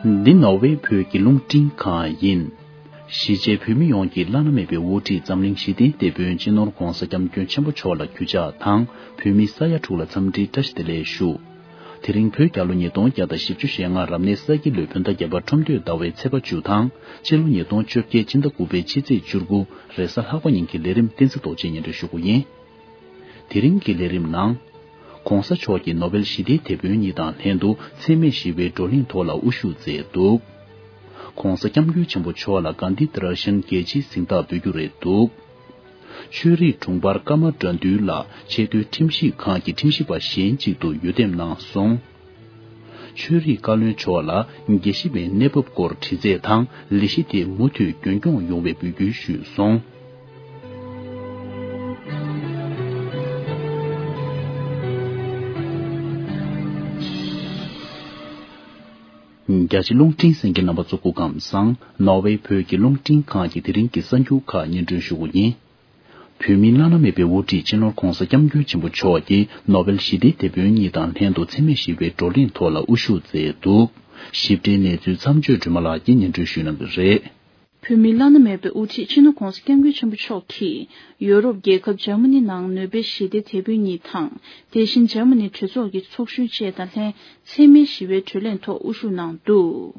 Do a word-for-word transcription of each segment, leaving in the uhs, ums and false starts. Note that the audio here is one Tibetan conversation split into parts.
འདི་ནོར་ཝེ་བོད་ཀྱི་རླུང་འཕྲིན་ཁང་ཡིན། གཞིས་བྱེས་བོད་མི་ཡོངས་ཀྱི་བླ་ན་མེད་པའི་དབུ་ཁྲིད་འཛམ་གླིང་ཞི་བདེའི་དེད་དཔོན་སྤྱི་ནོར་༧གོང་ས་༧སྐྱབས་མགོན་ཆེན་པོ་མཆོག་ལ་གུས་ཕྱག་དང་བོད་མི་ས་ཡ་དྲུག་ལ་འཚམས་འདྲིའི་བཀྲ་ཤིས་བདེ་ལེགས་ཞུ། དེ་རིང་བོད་རྒྱལ་ལོ་ཉིས་སྟོང་བརྒྱ་དང་བཞི་བཅུ་ཞེ་ལྔ་རབ་གནས་ས་ཁྱི་ལོའི་བོད་ཟླ་བརྒྱད་པ་ཁྲོམ་སྟོད་ཟླ་བའི་ཚེས་པ་བཅུ་དང་སྤྱི་ལོ་ཉིས་སྟོང་བཅོ་བརྒྱད་སྤྱི་ཟླ་དགུ་པའི་ཕྱི་ཚེས་བཅུ་དགུ་རེས་གཟའ་ལྷག་པ་ཉིན་གྱི་ལས་རིམ་བསྟན་འཛིན་རྡོ་རྗེས་སྙན་སྒྲོན་ཞུ་རྒྱུ་ཡིན། དེ་རིང་གི་ལས་རིམ་ནང་། ༧གོང་ས་མཆོག་གིས་ནོ་བེལ་ཞི་བདེའི་དེད་དཔོན་གཉིས་དང་ལྷན་དུ་འཚེ་མེད་ཞི་བའི་བགྲོ་གླེང་ཐོག་ལ་དབུ་བཞུགས་མཛད་འདུག ༸གོང་ས་༸སྐྱབས་མགོན་ཆེན་པོ་མཆོག་ལ་གྷན་དྷི་དྷི་ར་ཤན་རྒྱལ་སྤྱིའི་གཟེངས་རྟགས་འབུལ་རྒྱུ་རེད་འདུག་ཆོས་རིག་དྲུང་འཕར་ཀརྨ་དགྲ་འདུལ་ལགས་ཆེས་མཐོའི་ཁྲིམས་ཞིབ་ཁང་གི་ཁྲིམས་ཞིབ་པ་གཞན་གཅིག་ཏུ་འོས་འདེམས་གནང་སོང་། ཆོས་རིག་བཀའ་བློན་མཆོག་ལ་དགེ་བཤེས་པའི་གནས་བབ་སྐོར་དྲི་རྩད་དང་ལས་གཞི་དེ་མུ་མཐུད་རྒྱུན་སྐྱོང་ཡོང་བའི་འབོད་སྐུལ་ཞུས་སོང་། རྒྱ་ཆེ་རླུང་འཕྲིན་གསན་མཁན་རྣམ་པ་ཚོ་སྐུ་ཁམས་བཟང་། ནོར་ཝེ་བོད་ཀྱི་རླུང་འཕྲིན་ཁང་གི་དེ་རིང་གི་གསར་འགྱུར་ཁག་སྙན་སྒྲོན་ཞུ་རྒྱུ་ཡིན། བོད་མིའི་བླ་ན་མེད་པའི་དབུ་ཁྲིད་སྤྱི་ནོར་༸གོང་ས་༸སྐྱབས་མགོན་ཆེན་པོ་མཆོག་གིས་ནོ་བེལ་ཞི་བདེའི་དེད་དཔོན་གཉིས་དང་ལྷན་དུ་འཚེ་མེད་ཞི་བའི་བགྲོ་གླེང་ཐོག་ལ་དབུ་བཞུགས་མཛད་འདུག་ཞིབ་ཕྲའི་གནས་ཚུལ་མཚམས་གཅོད་སྒྲོལ་མ་ལགས་ཀྱིས་སྙན་སྒྲོན་ཞུ་གནང་གི་རེད། བོད་མིའི་བླ་ན་མེད་པའི་དབུ་ཁྲིད་སྤྱི་ནོར་༸གོང་ས་༸སྐྱབས་མགོན་ཆེན་པོ་མཆོག་གིས་ཡོ་རོབ་རྒྱལ་ཁབ་འཇར་མ་ནི་ནང་ནོ་བེལ་ཞི་བདེའི་དེད་དཔོན་གཉིས་དང་། དེ་བཞིན་འཇར་མ་ནི་གྲོས་ཚོགས་ཀྱི་ཚོགས་གཞོན་བཅས་དང་ལྷན་འཚེ་མེད་ཞི་བའི་བགྲོ་གླེང་ཐོག་དབུ་བཞུགས་གནང་འདུག་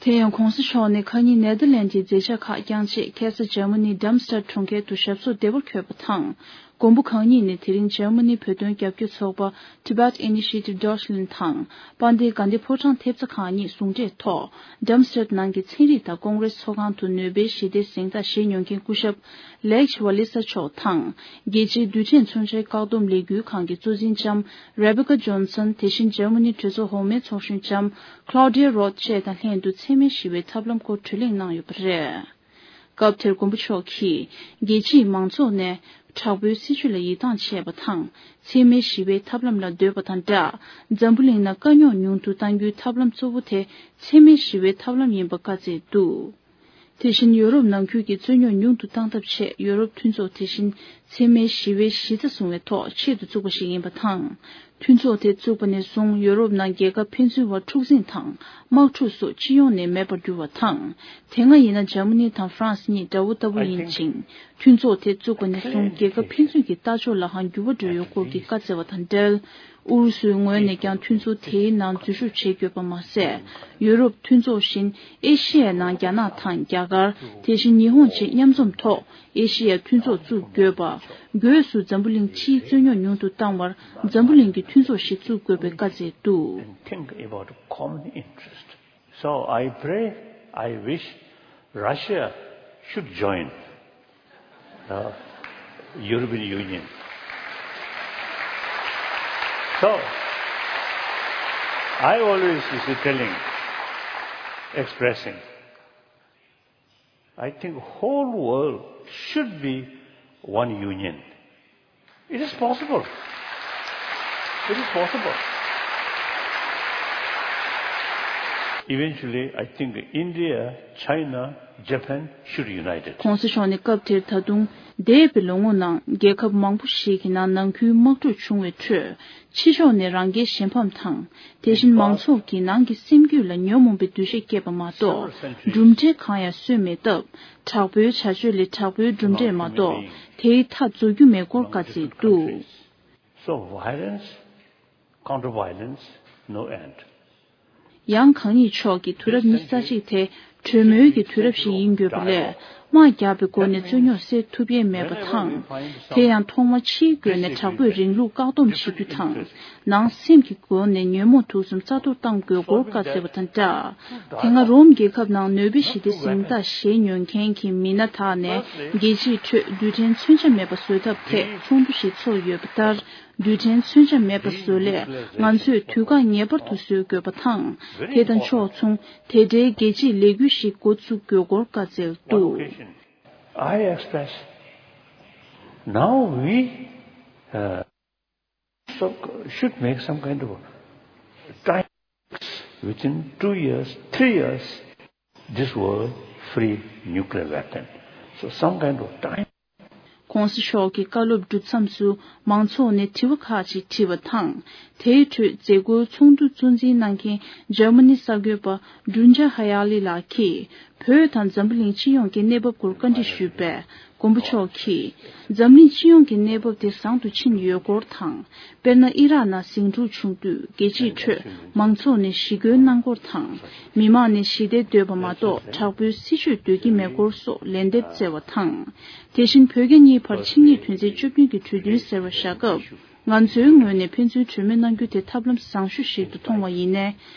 དེ་ཡང་༸གོང་ས་མཆོག་ནས་ཁ་ཉིན་ནེ་དར་ལེན་ཌི་ཡི་མཛད་འཆར་ཁག་བསྐྱངས་རྗེས་ཁ་སང་འཇར་མ་ནི་ཌརམ་སི་ཊད་གྲོང་ཁྱེར་དུ་ཞབས་སོར་བདེ་བར་འཁོད་པ་དང་། མགོན་པོ་གང་ཉིད་ནས་དེ་རིང་འཇར་མ་ནི་བོད་དོན་རྒྱབ་སྐྱོར་ཚོགས་པ་Tibet Initiative Deutschland དང་དཔལ་ལྡན་དགའ་ལྡན་ཕོ་བྲང་ཐེབས་རྩ་ཁག་གཉིས་ཟུང་འབྲེལ་ཐོག་ཌརམ་སི་ཊད་ནང་གི་ཚན་རིག་དང་ཀོང་རེས་ཚོགས་ཁང་དུ་ནོ་བེལ་ཞི་བདེའི་གཟེངས་རྟགས་བཞེས་མྱོང་མཁན་སྐུ་ཞབས་ལེག་ཝ་ལི་ས་མཆོག་དང་། རྒྱལ་སྤྱིའི་རྡུལ་ཕྲན་མཚོན་ཆའི་བཀག་སྡོམ་ལས་འགུལ་ཁང་གི་གཙོ་འཛིན་ལྕམ་Rebecca Johnson། དེ་བཞིན་འཇར་མ་ནི་གྲོས་ཚོགས་འོག་མའི་ཚོགས་གཞོན་ལྕམ་Claudia Roth བཅས་དང་ལྷན་དུ་འཚེ་མེད་ཞི་བའི་ཐབས་ལམ་སྐོར་གྲོས་གླེང་གནང་ཡོད་པ་རེད། སྐབས་དེར་མགོན་པོ་མཆོག་གིས་རྒྱལ་སྤྱིའི་མང་ཚོགས་ནས་དྲག་པོའི་སྲིད་བྱུས་ལ་ཡིད་ཐང་ཆད་པ་དང་། འཚེ་མེད་ཞི་བའི་ཐབས་ལམ་ལ་འདོད་པ་དང་སྦྲགས། འཛམ་བུ་གླིང་ནང་དཀའ་རྙོག་ཉུང་དུ་གཏང་རྒྱུའི་ཐབས་ལམ་གཙོ་བོ་དེ་འཚེ་མེད་ཞི་བའི་ཐབས་ལམ་ཡིན་པ་བཀའ་སྩལ་འདུག་དེ་བཞིན་ཡོ་རོབ་ནང་ཁུལ་གྱི་རྩོད་རྙོག་ཉུང་དུ་གཏང་ཐབས་ཆེད་ཡོ་རོབ་མཐུན་ཚོགས་དེ་བཞིན་འཚེ་མེད་ཞི་བའི་གཞི་རྩ་བཟུང་བའི་ཐོག་ཆེད་དུ་བཙུགས་པ་ཞིག་ཡིན་པ་དང་། མཐུན་ཚོགས་དེ་བཙུགས་པ་ནས་བཟུང་ཡོ་རོབ་ནང་རྒྱལ་ཁབ་ཕན་ཚུན་བར་འཁྲུག་འཛིང་དང་དམག་འཁྲུག་སོགས་སྤྱི་ཡོངས་ནས་མེད་པར་གྱུར་བ་དང་། དེ་སྔ་ཡིན་ན་འཇར་མ་ནི་དང་ཧྥ་རན་སི་གཉིས་དགྲ་བོ་ལྟ་བུ་ཡིན་ཅིང་། མཐུན་ཚོགས་དེ་བཙུགས་པ་ནས་བཟུང་རྒྱལ་ཁབ་ཕན་ཚུན་གྱི་ལྟ་ཕྱོགས་ལ་འང་འགྱུར་བ་འགྲོ་ཡོད་སྐོར་གྱི་བཀའ་སྩལ་བ་དང་འབྲེལ། ཨུ་རུ་སུའི་ངོས་ནས་ཀྱང་མཐུན་ཚོགས་དེའི་ནང་འཛུལ་ཞུགས་བྱེད་དགོས་པ་མ་ཟད། ཡོ་རོབ་མཐུན་ཚོགས་བཞིན་ཨེ་ཤི་ཡའི་ནང་རྒྱ་ནག་དང་རྒྱ་གར། དེ་བཞིན་ཉི་ཧོང་བཅས་མཉམ་འཛོམས་ཐོག་ཨེ་ཤི་ཡའི་མཐུན་ཚོགས་བཙུགས་དགོས་པ། སྒོས་སུ་འཛམ་བུ་གླིང་སྤྱིའི་རྩོད་རྙོག་ཉུང་དུ་བཏང་བར་འཛམ་བུ་གླིང་གི་མཐུན་ཚོགས་ཤིག་བཙུགས་དགོས་པའི་བཀའ་སྩལ་འདུག And think about common interest. So I pray, I wish Russia should join the European Union. So I always is telling, expressing, I think whole world should be one union. It is possible. It is possible. Eventually, I think India, China, Japan should unite it. ༸གོང་ས་མཆོག་ནས་སྐབས་དེར་ད་དུང་འདས་པའི་ལོ་ངོ་ནང་རྒྱལ་ཁབ་མང་པོ་ཞིག་གི་ནང་ནང་ཁུལ་དམག་འཁྲུག་བྱུང་བའི་ཁྲོད། ཕྱི་ཕྱོགས་ནས་རང་རྒྱལ་གཞན་ཕམ་དང་། དེ་བཞིན་མང་ཚོགས་ཀྱི་ནང་གི་སེམས་རྒྱུད་ལ་ཉོན་མོངས་པའི་འདུ་ཤེས་སྐྱེས་པ་མ་གཏོགས། གྲུབ་འབྲས་གང་ཡང་སོན་མེད་སྟབས། དྲག་པོའི་བྱ་སྤྱོད་ལས་དྲག་པོའི་གྲུབ་འབྲས་མ་གཏོགས། དེའི་མཐའ་རྫོགས་རྒྱུ་མེད་སྐོར་བཀའ་སྩལ་འདུག So violence, counter violence, no end. ཡང་གང་ཉིད་མཆོག་གིས་དུས་རབས་ཉི་ཤུ་རྩ་གཅིག་དེ་གྲོས་མོལ་གྱི་དུས་རབས་ཤིག་ཡིན་དགོས་པ་ལས། དམག་བརྒྱབ་པའི་སྒོ་ནས་རྩོད་རྙོག་སེལ་ཐུབ་ཡས་མེད་པ་དང་། དེ་ཡང་ཐོག་མར་ཕྱིའི་སྒོ་ནས་དྲག་པོས་རིང་ལུགས་བཀག་སྡོམ་བྱེད་རྒྱུ་དང་། ནང་སེམས་ཀྱི་སྒོ་ནས་ཉོན་མོངས་དུག་གསུམ་རྩ་གཏོར་གཏང་དགོས་སྐོར་བཀའ་སྩལ་བ་དང་སྦྲགས། དེ་སྔ་རོམ་རྒྱལ་ཁབ་ནང་ནོ་བེལ་ཞི་བདེའི་གཟེངས་རྟགས་བཞེས་མྱོང་མཁན་གྱི་མི་སྣ་དག་ནས་རྒྱལ་སྤྱིའི་ཁྲོད་རྡུལ་ཕྲན་མཚོན་ཆ་མེད་པ་བཟོ་ཐབས་ཐད་ཚོགས་འདུ་ཞིག་ཚོགས་ཡོད་པ་ལྟར། རྡུལ་ཕྲན་མཚོན་ཆ་མེད་པ་བཟོ་སླད་ང་ཚོས་དུས་བཀག་ངེས་པར་དུ་བཟོ་དགོས་པ་དང་། དེ་དང་ཕྱོགས་མཚུངས་དེ་འབྲེལ་རྒྱལ་སྤྱིའི་ལས་འགུལ་ཞིག་འགོ་འཛུགས་དགོས་སྐོར་བཀའ་སྩལ་འདུག I express, now we, uh, so should make some kind of time, within two years, three years, this world free nuclear weapon. So some kind of time. ༸གོང་ས་མཆོག་གི་བཀའ་སློབ་གྲུབ་མཚམས་སུ་མང་ཚོགས་ནས་དྲི་བ་ཁག་ཅིག་དྲིས་པ་དང་། དེའི་ཁྲོད་མཛད་སྒོའི་ཚོགས་འདུ་གཙོ་འཛིན་གནང་མཁན་འཇར་མ་ནི་གསར་འགོད་པ་ཌུན་ཇཱ་ཧ་ཡ་ལི་ལགས་ཀྱིས། བོད་དང་འཛམ་བུ་གླིང་སྤྱི་ཡོངས་ཀྱི་གནས་བབ་སྐོར་བཀའ་འདྲི་ཞུས་པས། མགོན་པོ་མཆོག་གིས། འཛམ་གླིང་སྤྱི་ཡོངས་ཀྱི་གནས་བབ་དེ་བཟང་དུ་ཕྱིན་ཡོད་སྐོར་དང་། དཔེར་ན། ཨི་རག་ནང་ཟིང་འཁྲུག་བྱུང་དུས། རྒྱལ་སྤྱིའི་ཁྲོད་མང་ཚོགས་ནས་ཞི་རྒོལ་གནང་སྐོར་དང་། མི་མང་ནས་ཞི་བདེ་འདོད་པ་མ་གཏོགས། དྲག་པོའི་སྲིད་བྱུས་འདོད་ཀྱི་མེད་སྐོར་སོགས་ལན་འདེབས་སྩལ་བ་དང་། དེ་བཞིན། བོད་རྒྱ་གཉིས་བར་ཆིངས་ཡིག་དོན་ཚན་བཅུ་བདུན་གྱི་གྲོས་མཐུན་ཟེར་བ་བཞག་སྐབས། ང་ཚོའི་ངོས་ནས་ཕན་ཚུན་གྲོས་མོལ་གནང་རྒྱུ་དེ་ཐབས་ལམ་བཟང་ཤོས་ཤིག་ཏུ་མཐོང་བ་ཡིན་ནའི།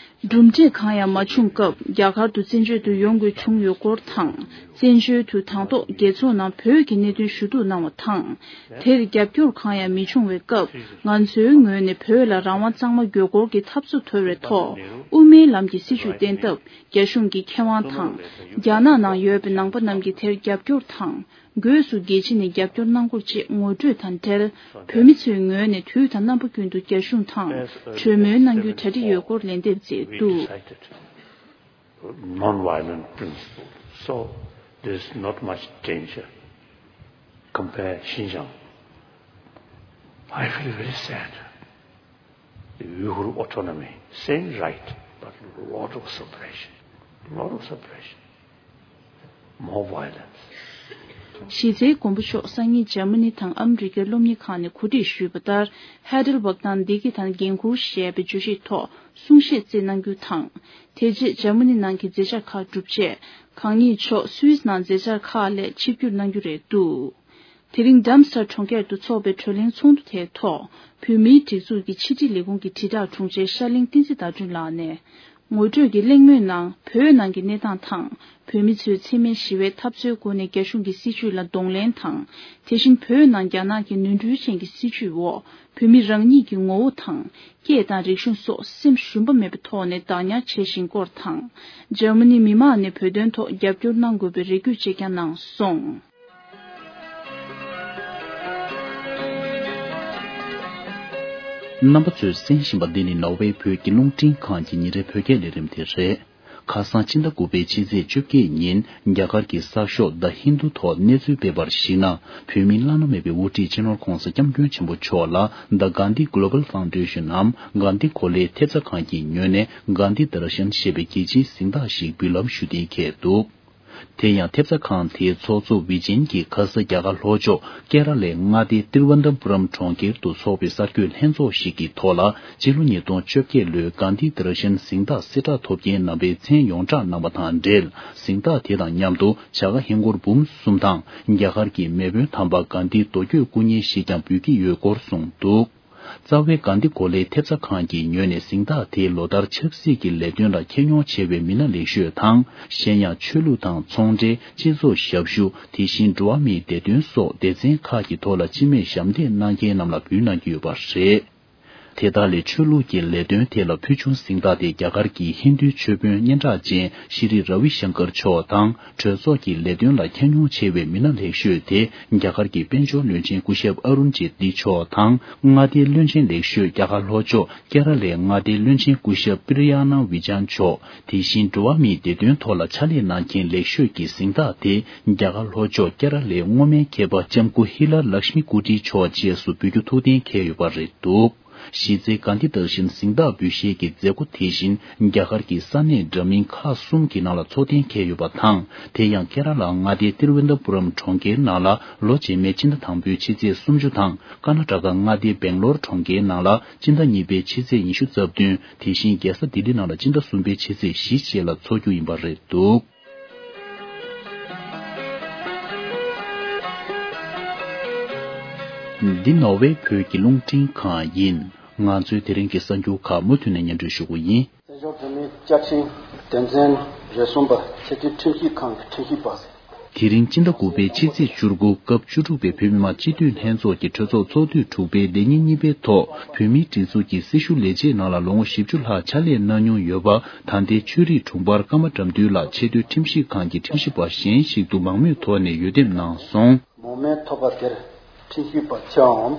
གྲུབ་འབྲས་གང་ཡང་མ་བྱུང་སྐབས། རྒྱ་གར་དུ་བཙན་བྱོལ་དུ་ཡོང་དགོས་བྱུང་ཡོད་སྐོར་དང་། བཙན་བྱོལ་དུ་དང་ཐོག་རྒྱལ་ཚོགས་ནང་བོད་ཀྱི་གནད་དོན་ཞུ་གཏུག་གནང་བ་དང་། དེར་རྒྱབ་སྐྱོར་གང་ཡང་མི་བྱུང་བའི་སྐབས། ང་ཚོའི་ངོས་ནས་བོད་ལ་རང་དབང་གཙང་མ་དགོས་སྐོར་གྱི་འཐབ་རྩོད་དོར་བའི་ཐོག་དབུ་མའི་ལམ་གྱི་སྲིད་བྱུས་བསྟན་སྟབས། རྒྱ་གཞུང་གི་མཁས་དབང་དང་། རྒྱ་ནག་ནང་ཡོད་པའི་ནང་པ་རྣམས་ཀྱིས་དེར་རྒྱབ་སྐྱོར་དང་། སྒོས་སུ་རྒྱལ་སྤྱི་ནས་རྒྱབ་སྐྱོར་གནང་སྐོར་བཅས་ངོ་སྤྲོད་དང་འབྲེལ། བོད་མི་ཚོའི་ངོས་ནས་དུས་དང་རྣམ་པ་ཀུན་ཏུ་རྒྱ་གཞུང་དང་གྲོས་མོལ་གནང་རྒྱུའི་གྲ་སྒྲིག་ཡོད་སྐོར་ལན་འདེབས་མཛད་འདུག Non-violent principle. So there is not much danger. Compare Xinjiang. I feel very sad. The Uyghur autonomy, same right, but lot of suppression. Lot of suppression. More violence. གཞི་རྩའི་མགོན་པོ་མཆོག་སང་ཉིན་འཇར་མ་ནི་དང་ཨ་མི་རི་ཀའི་སློབ་གཉེར་ཁང་ནས་གོ་སྒྲིག་ཞུས་པ་ལྟར། ཧེ་ཌེལ་བྷག་དང་འདི་གི་དང་འགན་འཁུར་ཞེས་པའི་བརྗོད་གཞིའི་ཐོག་གསུང་བཤད་བསྩལ་གནང་རྒྱུ་དང་། དེ་རྗེས་འཇར་མ་ནི་ནང་གི་མཛད་འཆར་ཁག་གྲུབ་རྗེས། གང་ཉིད་མཆོག་སུད་སི་ནང་མཛད་འཆར་ཁག་ལས་ཆིབས་བསྒྱུར་གནང་རྒྱུ་རེད་འདུག་དེ་རིང་ཌམ་སི་ཊར་གྲོང་ཁྱེར་དུ་འཚོགས་པའི་བགྲོ་གླེང་ཚོགས་འདུ་དེའི་ཐོག་བོད་མིའི་སྒྲིག་འཛུགས་ཀྱི་ཕྱི་དྲིལ་ལས་ཁུངས་ཀྱི་དྲིལ་བསྒྲགས་དྲུང་ཆེ་ཤར་གླིང་བསྟན་འཛིན་ཟླ་སྒྲོན་ལགས་ནས། ངོ་སྤྲོད་ཀྱི་གླེང་མོལ་ནང་། བོད་ནང་གི་གནས་སྟངས་དང་། བོད་མི་ཚོས་འཚེ་མེད་ཞི་བའི་འཐབ་རྩོད་སྒོ་ནས་རྒྱ་གཞུང་གི་སྲིད་བྱུས་ལ་གདོང་ལེན་དང་། དེ་བཞིན་བོད་ནང་རྒྱ་ནག་གི་ནོར་འཁྲུལ་ཅན་གྱི་སྲིད་བྱུས་འོག་བོད་མི་རང་ཉིད་ཀྱི་ངོ་བོ་དང་། སྐད་དང་རིག་གཞུང་སོགས་སེམས་ཞུམ་པ་མེད་པའི་ཐོག་ནས་བདག་ཉར་བྱེད་བཞིན་སྐོར་དང་། འཇར་མ་ནི་མི་མང་ནས་བོད་དོན་ཐོག་རྒྱབ་སྐྱོར་གནང་དགོས་པའི་རེ་སྐུལ་བཅས་ཀྱང་གནང་སོང་། རྣམ་པ་ཚོས་གསན་བཞིན་པ་འདི་ནི་ནོར་ཝེ་བོད་ཀྱི་རླུང་འཕྲིན་ཁང་གི་ཉིན་རེའི་བོད་སྐད་ལས་རིམ་དེ་རེད། ཁ་སང་ཕྱི་ཟླ་དགུ་པའི་ཕྱི་ཚེས་བཅོ་བརྒྱད་ཉིན་རྒྱ་གར་གྱི་གསར་ཤོག་The Hindu ཐོག་གནས་ཚུལ་སྤེལ་བར་གཞིགས་ན། བོད་མིའི་བླ་ན་མེད་པའི་དབུ་ཁྲིད་སྤྱི་ནོར་༸གོང་ས་༸སྐྱབས་མགོན་ཆེན་པོ་མཆོག་ལ་The Gandhi Global Foundation ནམ་གྷན་དྷི་གོ་ལའི་ཐེབས་རྩ་ཁང་གི་ངོས་ནས་གྷན་དྷི་དར་ཤན་ཞེས་པའི་རྒྱལ་སྤྱིའི་གཟེངས་རྟགས་ཤིག་འབུལ་ལམ་ཞུ་གཏན་འཁེལ་འདུག་དེ་ཡང་ཐེབས་རྩ་ཁང་དེའི་ཚོགས་གཙོ་ཝི་ཇེན་གྱིས་ཁ་ས་རྒྱ་གར་ལྷོ་ཕྱོགས་ཀེ་ར་ལའི་མངའ་སྡེ་ཏིརུ་ཝན་ཐ་པུ་རམ་གྲོང་ཁྱེར་དུ་འཚོགས་པའི་གསར་འགོད་ལྷན་ཚོགས་ཤིག་གི་ཐོག་ལ། སྤྱི་ལོ་ཉིས་སྟོང་བཅོ་བརྒྱད་ལོའི་གྷན་དྷི་དར་ཤན་གཟེངས་རྟགས་གསལ་བསྒྲགས་ཐོབ་མཁན་རྣམ་པའི་མཚན་ཡོངས་བསྒྲགས་གནང་བ་དང་འབྲེལ། གཟེངས་རྟགས་དེ་དང་མཉམ་དུ་བྱ་དགའ་ཧིན་སྒོར་འབུམ་གསུམ་དང་། རྒྱ་གར་གྱི་མེས་དབོན་དམ་པ་གྷན་དྷིའི་རྡོ་བརྒྱུད་སྐུ་བརྙན་ཞིག་ཀྱང་འབུལ་གྱི་ཡོད་སྐོར་གསུངས་འདུག་རྩ་བའི་གྷན་དྷི་གོ་ལའི་ཐེབས་རྩ་ཁང་གི་ངོས་ནས་གཟེངས་རྟགས་དེའི་ལོ་ལྟར་ཆབ་སྲིད་ཀྱི་ལས་དོན་ལ་ཁྱབ་མྱོང་ཆེ་བའི་མི་སྣ་ལེགས་ཤོས་དང་། གཞན་ཡང་ཆོས་ལུགས་དང་ཚོང་འབྲེལ། སྤྱི་ཚོགས་ཞབས་ཞུ། དེ་བཞིན་འགྲོ་བ་མིའི་བདེ་དོན་སོགས་སྡེ་ཚན་ཁག་གི་ཐོག་ལ་སྤྱི་མོས་ཞབས་འདེགས་གནང་མཁན་རྣམས་ལ་འབུལ་གནང་གི་ཡོད་པ་རེད། དེ་དག་ལས་ཆོས་ལུགས་ཀྱི་ལས་དོན་ཐད་ལ་ཕུལ་བྱུང་གཟེངས་རྟགས་དེ་རྒྱ་གར་གྱི་ཧིན་རྡུའི་ཆོས་དཔོན་སྙན་གྲགས་ཅན་ཤྲི་ར་ཝི་ཤང་ཀར་མཆོག་དང་། གྲོས་ཚོགས་ཀྱི་ལས་དོན་ལ་ཁྱབ་མྱོང་ཆེ་བའི་མི་སྣ་ལེགས་ཤོས་དེ་རྒྱ་གར་གྱི་དཔལ་འབྱོར་བློན་ཆེན་སྐུ་ཞབས་ཨ་རུན་ཇེ་ཏི་མཆོག་དང་། མངའ་སྡེའི་བློན་ཆེན་ལེགས་ཤོས་རྒྱ་གར་ལྷོ་ཕྱོགས་ཀེ་ར་ལའི་མངའ་སྡེའི་བློན་ཆེན་སྐུ་ཞབས་པི་རི་ཡ་ན་ཝི་ཇན་མཆོག་དེ་བཞིན་འགྲོ་བ་མིའི་བདེ་དོན་ཐོག་ལ་ཕྱག་ལས་གནང་མཁན་ལེགས་ཤོས་ཀྱི་གཟེངས་རྟགས་དེ་རྒྱ་གར་ལྷོ་ཕྱོགས་ཀེ་ར་ལའི་སྔོན་མའི་མཁས་པ་ལྕམ་སྐུ་ཧི་ལ་ལཀྵ་མི་ཀུ་ཊི་མཆོག་བཅས་སུ་འབུལ་རྒྱུ་ཐུགས་གཏན་འཁེལ་ཡོད་པ་རེད་འདུག་གཞི་རྩའི་གྷན་དྷི་དར་ཤན་གཟེངས་རྟགས་འབུལ་བཞེས་ཀྱི་མཛད་སྒོ་དེ་བཞིན་རྒྱ་གར་གྱི་ས་གནས་འདྲ་མིན་ཁག་གསུམ་གྱི་ནང་ལ་འཚོགས་གཏན་འཁེལ་ཡོད་པ་དང་། དེ་ཡང་ཀེ་ར་ལ་མངའ་སྡེའི་ཏིརུ་ཝན་ཐ་པུ་རམ་གྲོང་ཁྱེར་ནང་ལ་ལོ་རྗེས་མའི་སྤྱི་ཟླ་དང་པོའི་ཕྱི་ཚེས་སུམ་ཅུ་དང་། ཀར་ན་ཊ་ཀ་མངའ་སྡེའི་སྦེང་ལོར་གྲོང་ཁྱེར་ནང་ལ་སྤྱི་ཟླ་གཉིས་པའི་ཕྱི་ཚེས་ཉི་ཤུ་རྩ་བདུན། དེ་བཞིན་རྒྱལ་ས་ལྡི་ལི་ནང་ལ་སྤྱི་ཟླ་གསུམ་པའི་ཕྱི་ཚེས་བཞི་བཅས་ལ་འཚོགས་རྒྱུ་ཡིན་པ་རེད་འདུག་འདི་ནོར་ཝེ་བོད་ཀྱི་རླུང་འཕྲིན་ཁང་ཡིན། ང་ཚོའི་དེ་རིང་གི་གསར་འགྱུར་ཁག་མུ་མཐུད་ནས་སྙན་སྒྲོན་ཞུ་གི་ཡིན། བཙན་བྱོལ་བོད་མིའི་བཅའ་ཁྲིམས་དོན་ཚན་རེ་ཟུང་པ་ཆེས་མཐོའི་ཁྲིམས་ཞིབ་ཁང་གི་ཁྲིམས་ཞིབ་པ། དེ་རིང་སྤྱི་ཟླ་དགུ་པའི་ཕྱི་ཚེས་བཅུ་དགུ་སྐབས་བཅུ་དྲུག་པའི་བོད་མི་མང་སྤྱི་འཐུས་ལྷན་ཚོགས་ཀྱི་གྲོས་ཚོགས་ཚོགས་དུས་དྲུག་པའི་ལས་ཉིན་གཉིས་པའི་ཐོག་བོད་མིའི་སྒྲིག་འཛུགས་ཀྱི་སྲི་ཞུ་ལས་བྱེད་ནང་ལ་ལོ་ངོ་བཞི་བཅུ་ལྷག་ཕྱག་ལས་གནང་མྱོང་ཡོད་པ། ད་ལྟའི་ཆོས་རིག་དྲུང་འཕར་ཀརྨ་དགྲ་འདུལ་ལགས་ཆེས་མཐོའི་ཁྲིམས་ཞིབ་ཁང་གི་ཁྲིམས་ཞིབ་པ་གཞན་ཞིག་ཏུ་མང་མོས་ཐོག་ནས་འོས་འདེམས་གནང་སོང་། མང་མོས་ཐོབ་པ་དེར་ཁྲིམས་ཞིབ་པ་ཆེ་བའམ་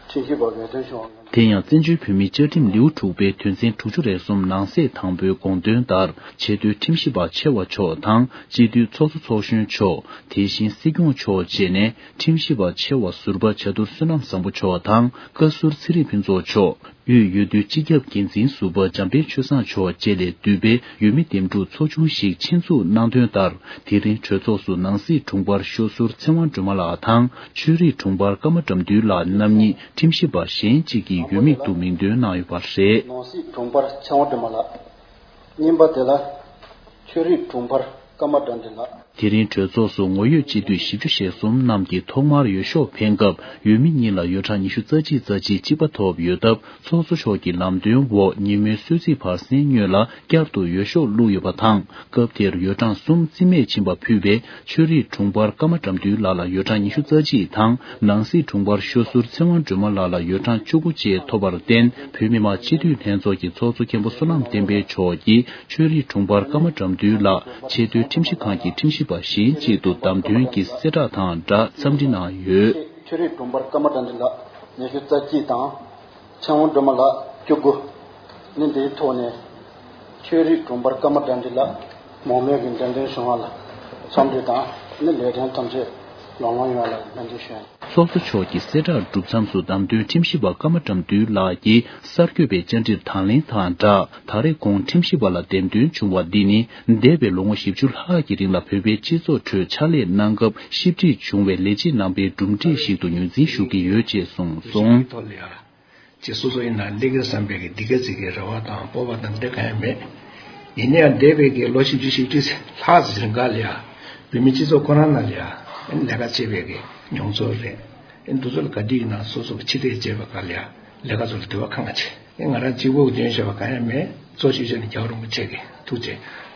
ཁྲིམས་ཞིབ་པ་འོས་ཐོན་བྱུང་བ། དེ་ཡང་བཙན་བྱོལ་བོད་མིའི་བཅའ་ཁྲིམས་ལེའུ་དྲུག་པའི་དོན་ཚན་དྲུག་ཅུ་རེ་གསུམ་ནང་གསེས་དང་པོའི་དགོངས་དོན་ལྟར། ཆེས་མཐོའི་ཁྲིམས་ཞིབ་པ་ཆེ་བ་མཆོག་དང་། སྤྱི་འཐུས་ཚོགས་གཙོ་ཚོགས་གཞོན་མཆོག་དེ་བཞིན་སྲིད་སྐྱོང་མཆོག་བཅས་ནས། ཁྲིམས་ཞིབ་པ་ཆེ་བ་ཟུར་པ་བྱ་དུར་བསོད་ནམས་བཟང་པོ་མཆོག་དང་། བཀའ་ཟུར་ཚེ་རིང་ཕུན་ཚོགས་མཆོག་དབུས་འོས་བསྡུ་སྤྱི་ཁྱབ་འགན་འཛིན་ཟུར་པ་འཇམ་དཔལ་ཆོས་བཟང་མཆོག་བཅས་ལས་འདུས་པའི་འོས་མི་འདེམས་སྒྲུག་ཚོགས་ཆུང་ཞིག་ཆེད་འཛུགས་གནང་དོན་ལྟར། དེ་རིང་གྲོས་ཚོགས་སུ་ནང་སྲིད་དྲུང་འཕར་ཤོ་ཟུར་ཚེ་དབང་སྒྲོལ་མ་ལགས་དང་། ཆོས་རིག་དྲུང་འཕར་ཀརྨ་དགྲ་འདུལ་ལགས་རྣམ་གཉིས་ཁྲིམས་ཞིབ་པ་གཞན་གཅིག་གི་འོས་མིག་ཏུ་མིང་འདོན་གནང་ཡོད་པ་རེད། ནང་སྲིད་དྲུང་འཕར་ཚེ་དབང་སྒྲོལ་མ་ལགས། གཉིས་པ་དེ་ལ་ཆོས་རིག་དྲུང་འཕར་ཀརྨ་དགྲ་འདུལ་ལགས། དེ་རིང་གྲོས་ཚོགས་སུ་ངོ་ཡོད་སྤྱི་འཐུས་བཞི་བཅུ་ཞེ་གསུམ་རྣམས་ཀྱིས་ཐོག་མར་འོས་ཤོག་འཕེན་སྐབས། འོས་མི་གཉིས་ལ་འོས་གྲངས་ཉི་ཤུ་རྩ་གཅིག་རྩ་གཅིག་གཅིག་པ་ཐོབ་ཡོད་སྟབས། ཚོགས་གཙོ་མཆོག་གི་ལམ་སྟོན་འོག་ཉིན་མོའི་གསོལ་ཚིགས་བར་གསེང་སྔོན་ལ་བསྐྱར་དུ་འོས་ཤོག་བླུགས་ཡོད་པ་དང་། སྐབས་དེར་འོས་གྲངས་གསུམ་རྩིས་མེད་ཕྱིན་པ་ཕུད་པའི་ཆོས་རིག་དྲུང་འཕར་ཀརྨ་དགྲ་འདུལ་ལགས་ལ་འོས་གྲངས་ཉི་ཤུ་རྩ་གཅིག་དང་། ནང་སྲིད་དྲུང་འཕར་ཤོ་ཟུར་ཚེ་དབང་སྒྲོལ་མ་ལགས་ལ་འོས་གྲངས་བཅུ་དགུ་བཅས་ཐོབ་པར་བརྟེན། བོད་མི་མང་སྤྱི་འཐུས་ལྷན་ཚོགས་ཀྱི་ཚོགས་གཙོ་མཁན་པོ་བསོད་ནམས་བསྟན་འཕེལ་མཆོག་གིས། ཆོས་རིག་དྲུང་འཕར་ཀརྨ་དགྲ་འདུལ་ལགས་ཆེས་མཐོའི་ཁྲིམས་ཞིབ་ཁང་གི་ཁྲིམས་ཞིབ་པ་གཞན་གཅིག་ཏུ་བདམས་ཐོན་གྱི་གསལ་བསྒྲགས་དང་སྦྲགས་འཚམས་འདྲི་གནང་ཡོད། ཆོས་རིག་དྲུང་འཕར་ཀརྨ་དགྲ་འདུལ་ལགས་ཉི་ཤུ་རྩ་གཅིག་དང་། ཚེ་དབང་སྒྲོལ་མ་ལགས་བཅུ་དགུ། ནི་འདིའི་ཐོག་ནས་ཆོས་རིག་དྲུང་འཕར་ཀརྨ་དགྲ་འདུལ་ལགས་མང་མོས་ཀྱིས་འགྲེམས་སྟོན་བྱུང་བ་ལ་འཚམས་འདྲི་དང་། ནི་ལས་དོན་ཐམས་ཅད་ལམ་ལྷོང་ཡོང་བ་ལ་སྨོན་འདུན་ཞུ། ཚོགས་གཙོ་མཆོག་གི་གསལ་བསྒྲགས་གྲུབ་མཚམས་སུ་བདམས་ཐོན་ཁྲིམས་ཞིབ་པ་ཀརྨ་དགྲ་འདུལ་ལགས་ཀྱིས་གསར་འགོད་པའི་བཅར་འདྲིར་དང་ལེན་དང་སྦྲགས། ད་རེས་ཁོང་ཁྲིམས་ཞིབ་པ་ལ་འདེམས་ཐོན་བྱུང་བ་འདི་ནི། འདས་པའི་ལོ་ངོ་བཞི་བཅུ་ལྷག་གི་རིང་ལ་བོད་པའི་སྤྱི་ཚོགས་ཁྲོད་ཕྱག་ལས་གནང་སྐབས་ཞིབ་ཕྲ་བྱུང་བའི་ལས་བྱེད་རྣམ་པའི་གྲུབ་འབྲས་ཤིག་ཏུ་ངོས་འཛིན་ཞུ་གི་ཡོད་ཅེས་གསུངས་སོང་། ཅེས་སོ་སོ་ཡིན་ན་ལས་ཀ་བསམ་པའི་གི་འདི་ག་ཅིག་གི་རེ་བ་དང་སྤོབས་པ་དང་འདི་གང་ཡང་མེད། ཡིན་ན་ཡང་འདས་པའི་གི་ལོ་བཞི་བཅུ་ཞེ་དྲུག་ལྷག་ཙམ་རིང་ག་ལ་ཡ། བོད་མི་སྤྱི་ཚོགས་ཁོ་རང་ནང་ལ་ཡ། ལས་ཀ་བྱེད་པའི་གི་མྱོང་ཚོར་རེད། འདི་ཚོ་ལ་ག་དུས་ཡིན་ན་སོ་སོ་གི་ཕྱི་བལྟས་བྱས་པ་ག་ལ་ཡ། ལས་ཀ་ཚོ་ལ་དུས་བ་ཁང་ང་ཆེ། ང་རང་གཅིག་པོ་གི་འདོན་བྱས་པ་གང་ཡང་མེད། གཙོ་ཆེ་ཤོས་ནི་རྒྱལ་བ་རིན་པོ་ཆེ་གི་ཐུགས་རྗེ་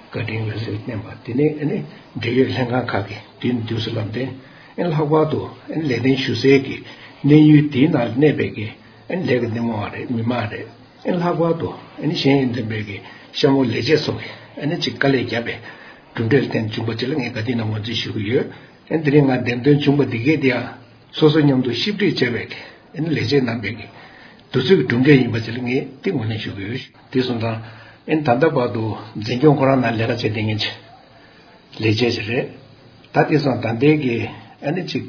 བཀའ་དྲིན་ལ་སེམས་བརྟན་པ་དེ་ནས་ཨ་ནི་འབྲེལ་ཡོད་ལྷན་ཁང་ཁག་གི་དུས་ནས་དུས་སུ་ལམ་སྟོན། ཨ་ནི་ལྷག་པར་དུ་ཨ་ནི་ལས་དོན་ཞུ་སའི་གི་གནས་ཡུལ་དེའི་ནང་གནས་པའི་གི་ཨ་ནི་ལས་ཀྱི་སྣེ་མོ་བ་རེད། མི་མང་རེད། ཨ་ནི་ལྷག་པར་དུ་ཨ་ནི་གཞན་ཡོན་ལྡན་པའི་གི་གཤམ་འོག་ལས་བྱེད་ཚོ་གི་ཨ་ནི་ཅིག་དཀའ་ལས་བརྒྱབ་པའི་གྲུབ་འབྲས་ལ་བརྟེན་བྱུང་པ་ཅིག་ལ་ངས་བཀའ་དྲིན་དང་ངོས་འཛིན་ཞུ་གི་ཡོད། ཨ་ནི་དེ་རིང་ང་འདེམས་ཐོན་བྱུང་པ་འདི་གས་དེ་ཡང་སོ་སོ་མཉམ་དུ་ཞིབ་འབྲི་བྱས་པའི་གི་ཨ་ནི་ལས་བྱེད་རྣམ་པའི་གི་དུས་ཚོད་ཀྱི་གྲུབ་འབྲས་ཡིན་པ་ཅིག་ལ་ངས་དེ་ངོས་ལེན་ཞུ་གི་ཡོད། དེ་སོང་ཙང་ཨ་ནི་ད་ལྟ་བར་དུ་འཛིན་སྐྱོང་ཁོ་རང་ནང་ལས་ཀ་བྱེད་བསྡད་མཁན་ཅིག་ལས་བྱེད་ཅིག་རེད། ད་དེ་སོང་ད་ལྟའི་གི་ཨ་ནི་ཅིག་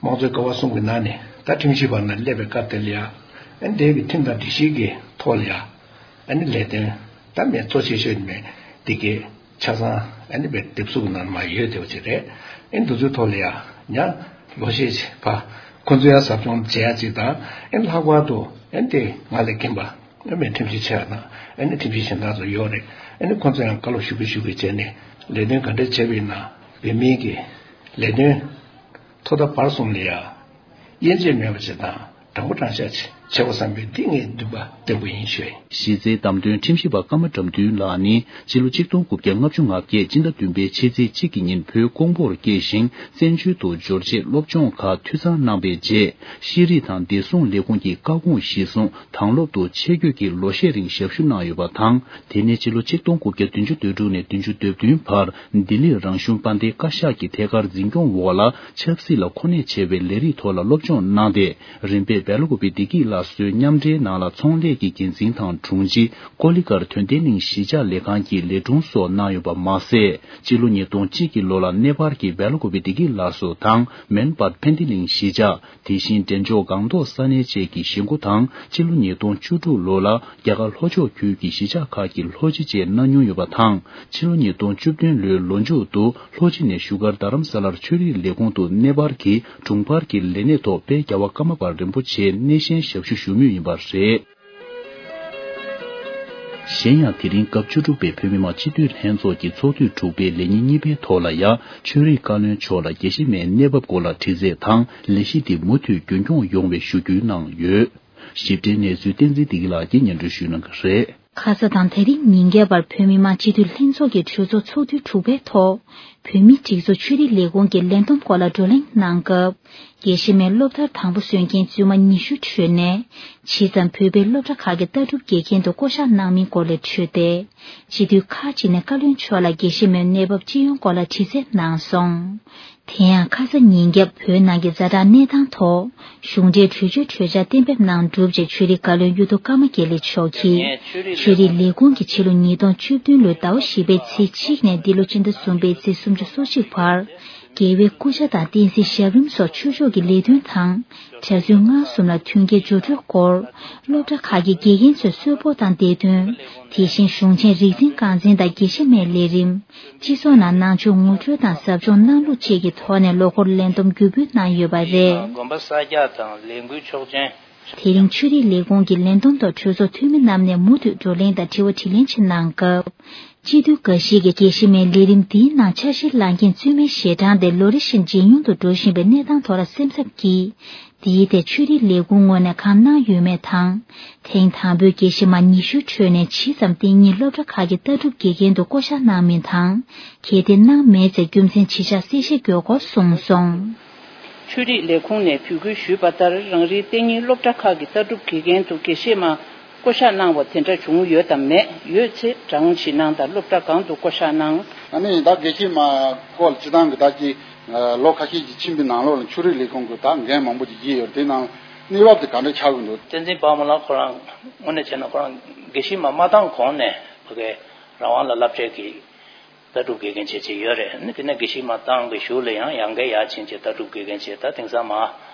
དམངས་གཙོའི་ཀ་བ་གསུམ་གི་ནང་ནས་ད་ཁྲིམས་ཞིབ་པ་ནང་སླེབས་པའི་སྐབས་དེ་ལ་ཡ། ཨ་ནི་དེ་གི་ཁྲིམས་དང་སྒྲིག་གཞི་གི་ཐོག་ལ་ཡ། ཨ་ནི་ལས་དོན་ད་མེད་གཙོ་ཆེ་ཤོས་མེད་དེ་གི་ཆ་ཚང་ཨ་ནི་བའི་དེབ་གཟུགས་ནང་མ་ཡོད་དེ་བ་ཅིག་རེད། ཨ་ནི་འདི་ཚོའི་ཐོག་ལ་ཡ་ཉ་ལོ་ཤས་ཕ་ཁོ་ཚོ་ཡ་ཟབ་སྦྱོང་བྱེད་ཡ་ཅིག་དང་ཨ་ནི་ལྷག་པར་དུ་ཨ་ནི་དེ་ང་ལས་རྒན་པ་ཨ་མའི་ཁྲིམས་ཞིབ་ཆེ་བ་དང་ཨ་ནི་ཁྲིམས་ཞིབ་གཞན་དག་ཚོ་ཡོད་རེད། ཨ་ནི་ཁོ་ཚོ་ཡང་བཀའ་སློབ་ཞུ་གི་ཞུ་གི་བྱས་ནས་ལས་དོན་ག་འདྲ་བྱས་པ་ཡིན་ན་བོད་མིའི་གི་ལས་དོན་ཐོག་མཐའ་བར་གསུམ་ལ་ཡ། དབྱེ་འབྱེད་མེད་པ་ཞིག་དང་དྲང་པོ་དྲང་བཞག་ཅིག་བྱེད་དགོས་བསམ་པའི་འདི་ངའི་འདུན་པ་བརྟན་པོ་ཡིན་ཞུ། གཞི་རྩའི་བདམས་ཐོན་ཁྲིམས་ཞིབ་པ་ཀརྨ་དགྲ་འདུལ་ལགས་ནི་སྤྱི་ལོ་ཆིག་སྟོང་དགུ་བརྒྱ་ལྔ་བཅུ་ང་བརྒྱད་སྤྱི་ཟླ་བདུན་པའི་ཕྱི་ཚེས་གཅིག་གི་ཉིན་བོད་ཀོང་པོར་སྐྱེས་ཤིང་བཙན་བྱོལ་དུ་འབྱོར་རྗེས་སློབ་སྦྱོང་ཁག་འཐུས་ཚང་གནང་པའི་རྗེས་ཤེས་རིག་དང་བདེ་སྲུང་ལས་ཁུངས་ཀྱི་བཀའ་དགོངས་གཞིར་བཟུང་དྭང་སློབ་ཏུ་ཆེད་བསྐོས་ཀྱིས་ལོ་ཤས་རིང་ཞབས་ཞུ་གནང་ཡོད་པ་དང་། དེ་ནས་ཕྱི་ལོ་ཆིག་སྟོང་དགུ་བརྒྱ་བདུན་ཅུ་དོན་དྲུག་ནས་བདུན་ཅུ་དོན་བདུན་བར་ལྡི་ལིར་རང་གཞུང་དཔལ་ལྡན་བཀའ་ཤག་གི་ཐད་ཀར་འཛིན་སྐྱོང་འོག་ལ་ཆབ་སྲིད་ལ་གོ་གནས་ཆེ་བའི་ལས་རིགས་ཐོག་ལ་སློབ་སྦྱོང་གནང་སྟེ། རིམ་པས་སྦེལ་ཀོབ་བི་བདེ་སྐྱིད་སླར་གསོའི་མཉམ་འབྲེལ་ནང་ལ་ཚོང་ལས་ཀྱི་འགན་འཛིན་དང་དྲུང་ཆེ། ཀོ་ལི་གྷལ་དོན་ལྡན་གླིང་གཞིས་ཆགས་ལས་ཁང་གི་ལས་དྲུང་སོགས་གནང་ཡོད་པ་མ་ཟད། སྤྱི་ལོ་ཉིས་སྟོང་གཅིག་གི་ལོ་ལ་ནེ་པཱལ་གྱི་སྦེལ་ཀོབ་བི་བདེ་སྐྱིད་སླར་གསོ་དང་མེན་པཱལ་ཕན་ཏི་གླིང་གཞིས་ཆགས། དེ་བཞིན་འབྲས་ལྗོངས་སྒང་ཏོག་ས་གནས་བཅས་ཀྱི་གཞིས་འགོ་དང་། ཕྱི་ལོ་ཉིས་སྟོང་བཅུ་དྲུག་ལོ་ལ་རྒྱ་གར་ལྷོ་ཕྱོགས་ཁུལ་གྱི་གཞིས་ཆགས་ཁག་གི་ལྷོ་སྤྱི་བཅས་གནང་མྱོང་ཡོད་པ་དང་། ཕྱི་ལོ་ཉིས་སྟོང་བཅུ་བདུན་ལོའི་ལོ་མཇུག་ཏུ་ལྷོ་སྤྱི་ནས་བཞུགས་སྒར་རྡ་རམ་ས་ལར་ཆོས་རིག་ལས་ཁུངས་དུ་ནེ་པཱལ་གྱི་དྲུང་འཕར་གྱི་ལས་གནས་ཐོག་དཔལ་རྒྱལ་བ་ཀརྨ་པ་རིན་པོ་ཆེའི་སྣེ་ཤན་ཞབས་ཞུ་ཞུ་མུས་ཡིན་པ་རེད། གཞན་ཡང་། དེ་རིང་སྐབས་བཅུ་དྲུག་པའི་བོད་མི་མང་སྤྱི་འཐུས་ལྷན་ཚོགས་ཀྱི་ཚོགས་དུས་དྲུག་པའི་ལས་ཉིན་གཉིས་པའི་ཐོག་ལ་ཡང་། ཆོས་རིག་བཀའ་བློན་མཆོག་ལ་དགེ་བཤེས་མའི་གནས་བབ་སྐོར་ལ་དྲི་རྩད་དང་། ལས་གཞི་འདི་མུ་མཐུད་རྒྱུན་འཁྱོངས་ཡོང་བའི་ཞུ་སྐུལ་གནང་ཡོད། ཞིབ་ཕྲའི་གནས་ཚུལ་བསྟན་འཛིན་བདེ་སྐྱིད་ལགས་ཀྱིས་སྙན་སྒྲོན་ཞུ་གནང་གི་རེད། ཁ་ས་དང་དེ་རིང་ཉིན་འགའི་བར་བོད་མི་མང་སྤྱི་འཐུས་ལྷན་ཚོགས་ཀྱི་གྲོས་ཚོགས་ཚོགས་དུས་དྲུག་པའི་ཐོག་བོད་མིའི་སྒྲིག་འཛུགས་ཆོས་རིག་ལས་ཁུངས་ཀྱི་ལས་བསྡོམས་སྐོར་ལ་བགྲོ་གླེང་གནང་སྐབས། དགེ་བཤེས་མའི་སློབ་མཐར་དང་པོ་སོན་མཁན་བཙུན་མ་ཉི་ཤུ་ཁྲོད་ནས། ཇི་ཙམ་བོད་པའི་སློབ་གྲྭ་ཁག་གི་ལྟ་གྲུབ་དགེ་རྒན་དུ་བསྐོ་གཞག་གནང་མིན་སྐོར་ལ་དྲིས་ཏེ། སྤྱི་འཐུས་ཁག་ཅིག་ནས་བཀའ་བློན་མཆོག་ལ་དགེ་བཤེས་མའི་གནས་བབ་སྤྱི་ཡོངས་སྐོར་ལ་དྲི་རྩད་གནང་སོང་། དེ་ཡང་ཁ་ས་ཉིན་རྒྱབ་བོད་ནང་གི་ཛ་དྲག་གནས་སྟངས་ཐོག་གཞུང་འབྲེལ་གྲོས་ཆོད་གྲོས་འཆར་གཏན་འབེབས་གནང་གྲུབ་རྗེས་ཆོས་རིག་བཀའ་བློན་གཡུ་ཐོག་ཀརྨ་དགེ་ལེགས་མཆོག་གིས་ཆོས་རིག་ལས་ཁུངས་ཀྱི་ཕྱི་ལོ་ཉིས་སྟོང་བཅུ་བདུན་ལོའི་ཟླ་བ་བཞི་པའི་ཚེས་གཅིག་ནས་འདི་ལོ་སྤྱི་ཟླ་གསུམ་པའི་ཚེས་སུམ་ཅུ་སོ་གཅིག་བར། རྒྱལ་བའི་སྐུ་ཕྱྭ་དང་བསྟན་འཛིན་ཞབས་རིམ་སོགས་ཆོས་ཕྱོགས་ཀྱི་ལས་དོན་དང་། གྲྭ་བཙུན་སྔགས་གསུམ་ལ་མཐུན་རྐྱེན་སྦྱོར་སྤྲོད་སྐོར། སློབ་གྲྭ་ཁག་གི་དགེ་རྒན་ཚོའི་གསོལ་ཕོགས་དང་སྡེ་ཐོན། དེ་བཞིན་གཞུང་ཆེན་རིག་འཛིན་རྐང་འཛིན་དང་དགེ་བཤེས་མའི་ལས་རིམ། སྤྱི་ཚོགས་ནང་ནང་ཆོས་ངོ་སྤྲོད་དང་ཟབ་སྦྱོང་གནང་ལུགས་བཅས་ཀྱི་ཐོག་ནས་ལོ་འཁོར་ལས་བསྡོམས་བརྒྱུད་སྤེལ་གནང་ཡོད་པ་རེད། དགོན་པ་གསར་རྒྱག་དང་ལས་འགུལ་ཆོག་མཆན། དེ་རིང་ཆོས་རིག་ལས་ཁུངས་ཀྱི་ལས་བསྡོམས་ཐོག་གྲོས་ཚོགས་འཐུས་མི་རྣམས་ནས་མུ་མཐུད་བགྲོ་གླེང་དང་དྲི་བ་དྲིས་ལན་བྱེད་གནང་སྐབས། སྤྱི་འཐུས་འགའ་ཞིག་གིས་དགེ་བཤེས་མའི་ལས་རིམ་འདིའི་ནང་ཆ་ཤས་ལག་འཁྱེར་བཙུན་མའི་ཞལ་གྲངས་དེ་ལོ་རེ་བཞིན་ཇེ་ཉུང་དུ་འགྲོ་བཞིན་པའི་གནས་སྟངས་ཐོག་ལ་སེམས་འཚབ་ཀྱིས། འདིའི་ཐད་ཆོས་རིག་ལས་ཁུངས་ངོས་ནས་གང་གནང་ཡོད་མེད་དང་། ཐེངས་དང་པོའི་དགེ་བཤེས་མ་ཉི་ཤུའི་ཁྲོད་ནས་ཇི་ཙམ་དེ་ཉིད་སློབ་གྲྭ་ཁག་གི་ལྟ་གྲུབ་དགེ་རྒན་དུ་བསྐོ་གཞག་གནང་མིན་དང་། གལ་ཏེ་གནང་མེད་ཚེ་རྒྱུ་མཚན་ཇི་ཆགས་གསལ་བཤད་དགོས་སྐོར་གསུངས་སོང་། ཆོས་རིག་ལས་ཁུངས་ནས་འབོད་སྐུལ་ཞུས་པ་ལྟར། རང་རེའི་གཏན་ཉིན་སློབ་གྲྭ་ཁག་གི་ལྟ་གྲུབ་དགེ་རྒན་དུ་དགེ་བཤེས་མ་བསྐོ་གཞག་གནང་བ་དེ་འདྲ་བྱུང་ཡོད་དམ་མེད། ཡོད་ཚེ་གྲངས་བཞེས་གནང་དང་། སློབ་གྲྭ་གང་དུ་བསྐོ་གཞག་གནང་། ཨ་ནི་ད་དགེ་བཤེས་མ་སྐོར་སྤྱི་བཏང་གི་ད་ཅི་ལོ་ཁ་ཤས་ཀྱི་ཕྱིན་པའི་ནང་ལོགས་ལ་ཆོས་རིག་ལས་ཁུངས་ཀྱི་ད་འགན་མང་པོ་ཅིག་བཞེས་ཡོད་རེད། དེ་ནང་གནས་བབ་དེ་ག་འདྲ་ཆགས་ཀྱི་འདུག་བསྟན་འཛིན་དཔལ་མོ་ལགས་ཁོ་རང་དངོས་གནས་བྱས་ན་ཁོ་རང་དགེ་བཤེས་མ་མ་བཏང་གོང་ནས་ཕ་གའི་རང་དབང་ལ་བསླབ་བྱའི་གི་ལྟ་གྲུབ་དགེ་རྒན་བྱས་བྱས་ཡོད་རེད། ཨ་ནི་དེ་ནས་དགེ་བཤེས་མ་བཏང་བའི་གཞུག་ལ་ཡང་ཡང་བསྐྱར་ཡར་ཕྱིན་བྱས་ལྟ་གྲུབ་དགེ་རྒན་བྱས། ད་དེང་སང་མར་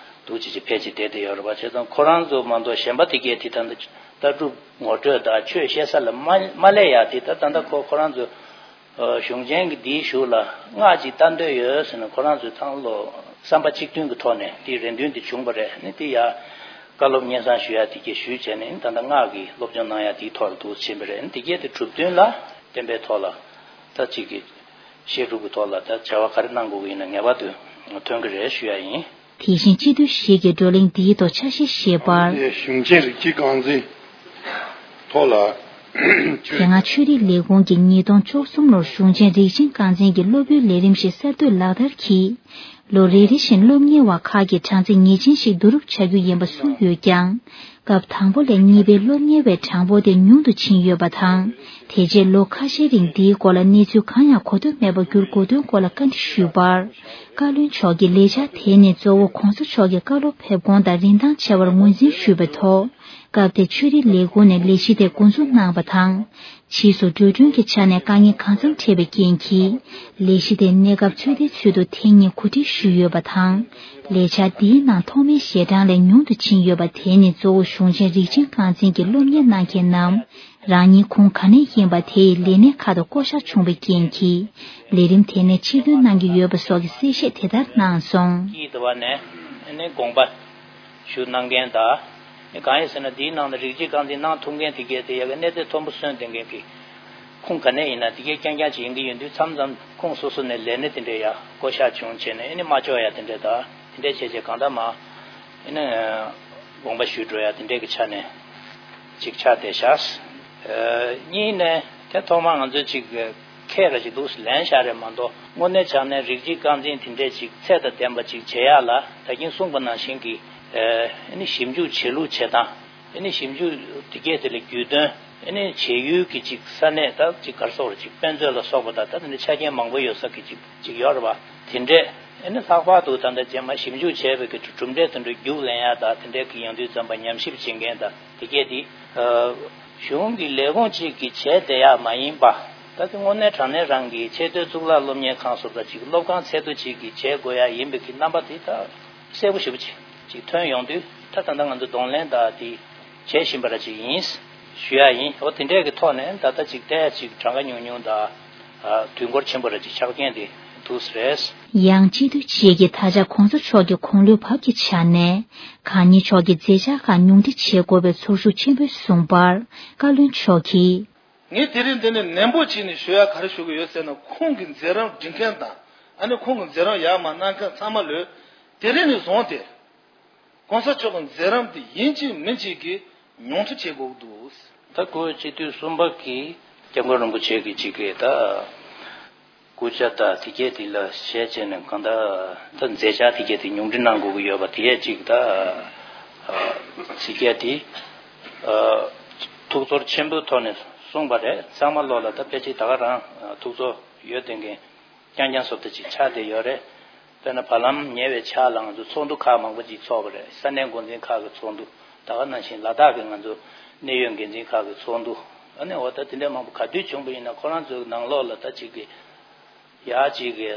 འདུག་བྱས་བྱས་ཕལ་ཆེར་བསྡད་བསྡད་ཡོད་རེད་པ། བྱས་ཙང་ཁོ་རང་ཚོ་མ་གཏོགས་གཞན་པ་དེ་གས་དེ་ད་ལྟ་ལྟ་གྲུབ་ངོ་སྤྲོད་དང་ཆོས་བཤད་ས་ལ་མ་མ་སླེབས་ཡ་དེ། ད་ད་ལྟ་ཁོ་ཁོ་རང་ཚོ་གཞུང་ཆེན་གྱི་འདིའི་གཞུག་ལ་སྔགས་ཅིག་བལྟ་འདོད་ཡོད་ཟེར་ནས་ཁོ་རང་ཚོའི་ཚང་ལོ་བསམ་པ་གཅིག་མཐུན་གྱི་ཐོག་ནས་དེའི་རེ་འདུན་དེ་བྱུང་བ་རེད། ཨ་ནི་དེ་ཡ་བཀའ་སློབ་སྙན་སེང་ཞུ་ཡ་དེ་གས་ཞུས་བྱས་ནས་ད་ལྟ་སྔགས་ཀྱི་སློབ་སྦྱོང་གནང་ཡ་དེའི་ཐོག་ལ་འདུག་ཕྱིན་པ་རེད། ཨ་ནི་དེ་གས་དེ་གྲུབ་དོན་ལ་བརྟེན་པའི་ཐོག་ལ་ད་ཅིག་གི་བཤད་སྒྲུབ་ཀྱི་ཐོག་ལ་ད་བྱ་བ་ག་རེ་གནང་དགོས་ཀྱི་ཡིན་ན་ངེས་པར་དུ་ཐོན་གྱི་རེད་ཞུ་ཡ་ཡིན། དེ་བཞིན་སྤྱི་འཐུས་ཞིག་གིས་བགྲོ་གླེང་འདིའི་ཐོག་ཆ་ཤས་བཞེས་པར། གཞུང་ཆེན་རིགས་གཅིག་རྐང་འཛིན་ཐོག་ལ། དེ་སྔ་ཆོས་རིག་ལས་ཁུངས་ཀྱིས་ཉིས་སྟོང་བཅུ་གསུམ་ལོར་གཞུང་ཆེན་རིགས་ཆེན་རྐང་འཛིན་གྱི་སློབ་བུའི་ལས་རིམ་ཞིག་གསར་གཏོད་ལག་བསྟར་གྱིས། ལོ་རེ་རེ་བཞིན་སློབ་གཉེར་བ་ཁག་གི་གྲངས་ཚད་ངེས་ཅན་ཞིག་བསྡུ་རུབ་བྱ་རྒྱུ་ཡིན་པ་གསུངས་ཡོད་ཀྱང་། སྐབས་དང་པོ་ལས་གཉིས་པའི་སློབ་གཉེར་བའི་གྲངས་འབོར་དེ་ཉུང་དུ་ཕྱིན་ཡོད་པ་དང་། དེ་རྗེས་ལོ་ཁ་ཤས་རིང་འདིའི་སྐོར་ལ་གནས་ཚུལ་གང་ཡང་གོ་ཐོས་མེད་པར་གྱུར་དགོས་དོན་སྐོར་ལ་བཀའ་འདྲི་ཞུས་པར། བཀའ་བློན་མཆོག་གིས་ལས་འཆར་དེ་ནི་གཙོ་བོ་༸གོང་ས་མཆོག་གི་བཀའ་སློབ་ཕེབས་ཁོངས་དང་རིན་ཐང་ཆེ་བར་ངོས་འཛིན་ཞུས་པའི་ཐོག་སྐབས་དེར་ཆོས་རིག་ལས་ཁུངས་ནས་ལས་གཞི་དེ་འགོ་འཛུགས་གནང་བ་དང་། ཕྱིས་སུ་འགྲོ་གྲོན་གྱི་ཆ་ནས་དཀའ་ངལ་གང་འཚམ་འཕྲད་པའི་རྐྱེན་གྱིས། ལས་གཞི་དེ་གནས་སྐབས་ཚོད་ལྟའི་ཚུལ་དུ་ཐེངས་གཉིས་གོ་སྒྲིག་ཞུས་ཡོད་པ་དང་། ལས་འཆར་འདིའི་ནང་ཐོག་མའི་ཞལ་གྲངས་ལས་ཉུང་དུ་ཕྱིན་ཡོད་པ་དེ་ནི་གཙོ་བོ་གཞུང་ཆེན་རིགས་ཆེན་རྐང་འཛིན་གྱི་སློབ་གཉེར་གནང་མཁན་རྣམས། རང་ཉིད་ཁུངས་ག་ནས་ཡིན་པ་དེ་ཡི་ལས་སྣེ་ཁག་ཏུ་བསྐོ་གཞག་བྱུང་བའི་རྐྱེན་གྱིས། ལས་རིམ་དེ་ནས་ཕྱིར་ཐོན་གནང་གི་ཡོད་པ་སོགས་ཀྱི་གསལ་བཤད་དེ་ལྟར་གནང་སོང་། ཀྱིས་དུ་བ་ནས་ནི་དགོངས་པ་ཞུ་གནང་མཁན་དང་། ནི་གང་ཡིན་ཟེར་ན་འདིའི་ནང་ན་རིགས་གཅིག་རྐང་འཛིན་གནང་ཐུབ་མཁན་དེ་གས་དེ་ཡ་གི་གནས་ཚད་མཐོན་པོ་སོན་བསྡད་མཁན་གྱི་ཁུངས་ག་ནས་ཡིན་ན་དེ་གས་རྐྱང་རྐྱང་ཅིག་ཡིན་གྱི་ཡོད་དུས། མཚམས་མཚམས་ཁུངས་སོ་སོ་ནས་ལས་སྣེ་དེ་འདྲས་ཡ་བསྐོ་གཞག་བྱུང་བྱས་ནས་ཨེ་ནི་མ་ལྕོགས་ཡ་དེ་འདྲས་དང་དེ་འདྲས་བྱས་བྱས་གང་ལྟར་མ་ཨེ་ནི་དགོངས་པ་ཞུས་འགྲོ་ཡ་དེ་འདྲས་ཀྱི་ཆ་ནས་ཅིག་ཆགས་བསྡད་ཤག་གཉིས་ནས་དེ་ཐོག་མར་ང་ཚོས་ཅིག་ཁས་ལ་ཅིག་འདུག་ལེན་བཞག་རེད་མ་གཏོགས། དངོས་གནས་བྱས་ན་རིགས་གཅིག་རྐང་འཛིན་དེ་འདྲས་ཅིག་ཚད་དང་ལྡན་པ་ཅིག་བྱེད་ཡག་ལ་ད་གིན་གསུངས་པ་ནང་བཞིན་གྱི་ཨེ་ནི་ཞིབ་འཇུག་བྱེད་ལུགས་བྱེད་སྟངས། ཨེ་ནི་ཞིབ་འཇུག་དེ་གས་དེ་ལ་རྒྱུས་སྟོན། ཨེ་ནི་བྱེད་ཡུལ་གྱི་ཅིག་ས་གནས་དང་ཅིག་ག་རེ་ཟེར་དགོས་རེད། ཅིག་དཔེ་མཛོད་ལ་སོགས་པ་དང་ད་དེ་འདྲ་ཆ་རྐྱེན་མང་པོ་ཡོད་ས་གི་ཅིག་ཅིག་ཡོད་རེད་པ། དེ་འདྲས་ཨེ་ནི་ལྷག་པར་དུ་ད་ལྟ་རྗེས་མ་ཞིབ་འཇུག་བྱས་པའི་གི་གྲུབ་འབྲས་དེ་འདྲ་རྒྱུགས་ལེན་ཡ་དང་དེ་འདྲས་ཀྱི་ཡོང་དུས་ཙམ་པ་ཉམས་ཞིབ་བྱེད་མཁན་དང་དེ་གས་དེ་ཨ་གཞུང་གི་ལས་ཁུངས་གཅིག་གིས་བྱས་བསྡད་ཡག་མ་ཡིན་པ། ད་དེ་དངོས་གནས་དྲང་གནས་རང་གི་ཆེས་མཐོའི་གཙུག་ལག་སློབ་གཉེར་ཁང་སོགས་དང་ཅིག་སློབ་ཁང་ཚད་མཐོ་ཅིག་གིས་བྱེད་དགོས་ཡ་ཡིན་པའི་གི་རྣམ་པ་དེ་ད་གསལ་པོ་ཞེ་པོ་ཅིག་ཅིག་ཐོན་ཡོང་དུས། ད་ད་ལྟ་ང་ཚོ་གདོང་ལེན་དང་དེ་བྱེད་བཞིན་པ་ར་ཅིག་ཡིན་ཞུ་ཡ་ཡིན། འོ་དེ་འདྲས་ཀྱི་ཐོག་ནས་ད་ལྟ་ཅིག་བལྟས་ཡ་ཅིག་གྲངས་ཀ་ཉུང་ཉུང་དང་དུས་འགོར་ཆེན་པོ་ར་ཅིག་ཆགས་རྐྱེན་དེ་འདུག་སེ་རེད། ཡང་སྤྱི་འཐུས་ཅིག་གིས་ད་ཆ་གོང་ས་མཆོག་གི་དགུང་ལོའི་བབ་ཀྱི་ཆ་ནས་གང་ཉིད་མཆོག་གི་མཛད་འཆར་ཁག་ཉུང་འཕྲི་བྱེད་དགོས་པའི་ཚོར་ཤུགས་ཆེན་པོས་བཟུང་བར་བཀའ་བློན་མཆོག་གིས། ངས་དེ་རིང་འདི་ནས་ནན་པོ་བྱས་ནས་ཞུ་ཡ་ག་རེ་ཞུ་གི་ཡོད་ཟེར་ན། ཁོང་གི་མཛད་རིམ་སྒྲིག་མཁན་དང་ཨ་ནི་ཁོང་གི་མཛད་རིམ་ཡར་མར་གནང་མཁན་ཚང་མ་ལོས་དེ་རིང་ནས་བཟུང་སྟེ་གོང་ས་མཆོག་གི་མཛད་རིམ་དེ་ཡིན་གཅིག་མིན་གཅིག་གིས་ཉུང་འཕྲི་བྱེད་དགོས་ཀྱི་འདུག་ད་སྐུ་སྤྱི་འཐུས་གསུམ་པ་གིས་སྐྱབས་མགོན་རིན་པོ་ཆེ་གི་གཅིག་གི་ད་སྐུ་ཕྱྭ་དང་དེ་གས་དེ་ལ་ཞལ་བྱས་ནས་གང་ལྟར་ད་མཛད་འཆར་དེ་གས་དེ་ཉུང་འཕྲི་གནང་དགོས་ཀྱི་ཡོད་པ་དེ་གས་གཅིག་ད་དེ་གས་དེ་ཐུགས་ཚོར་ཆེན་པོའི་ཐོག་ནས་གསུངས་པ་རེད། ཚང་མ་ལོག་ལ་ད་ཕལ་ཆེར་ད་ག་རང་ཐུགས་ཚོར་ཡོད་བསྡད་མཁན་རྐྱང་རྐྱང་བཟོ་ལྟ་ཅིག་ཆགས་བསྡད་ཡོད་རེད། དཔེར་ན་བར་ལམ་ཉེ་བའི་ཆར་ལ་ང་ཚོ་ཚོགས་འདུ་ཁག་མང་པོ་ཅིག་ཚོགས་པ་རེད། ས་གནས་འགོ་འཛིན་ཁག་གི་ཚོགས་འདུ། ད་ག་ནང་བཞིན་ལ་དྭགས་ཀྱི་ང་ཚོ་གནད་ཡོད་འགན་འཛིན་ཁག་གི་ཚོགས་འདུ། ཨ་ནི་འོ་ད་དེ་འདྲ་མང་པོ་ག་དུས་བྱུང་པ་ཡིན་ན་ཁོ་རང་ཚོའི་ནང་ལོགས་ལ་ད་ཅིག་གི་ཡག་ཅིག་གི་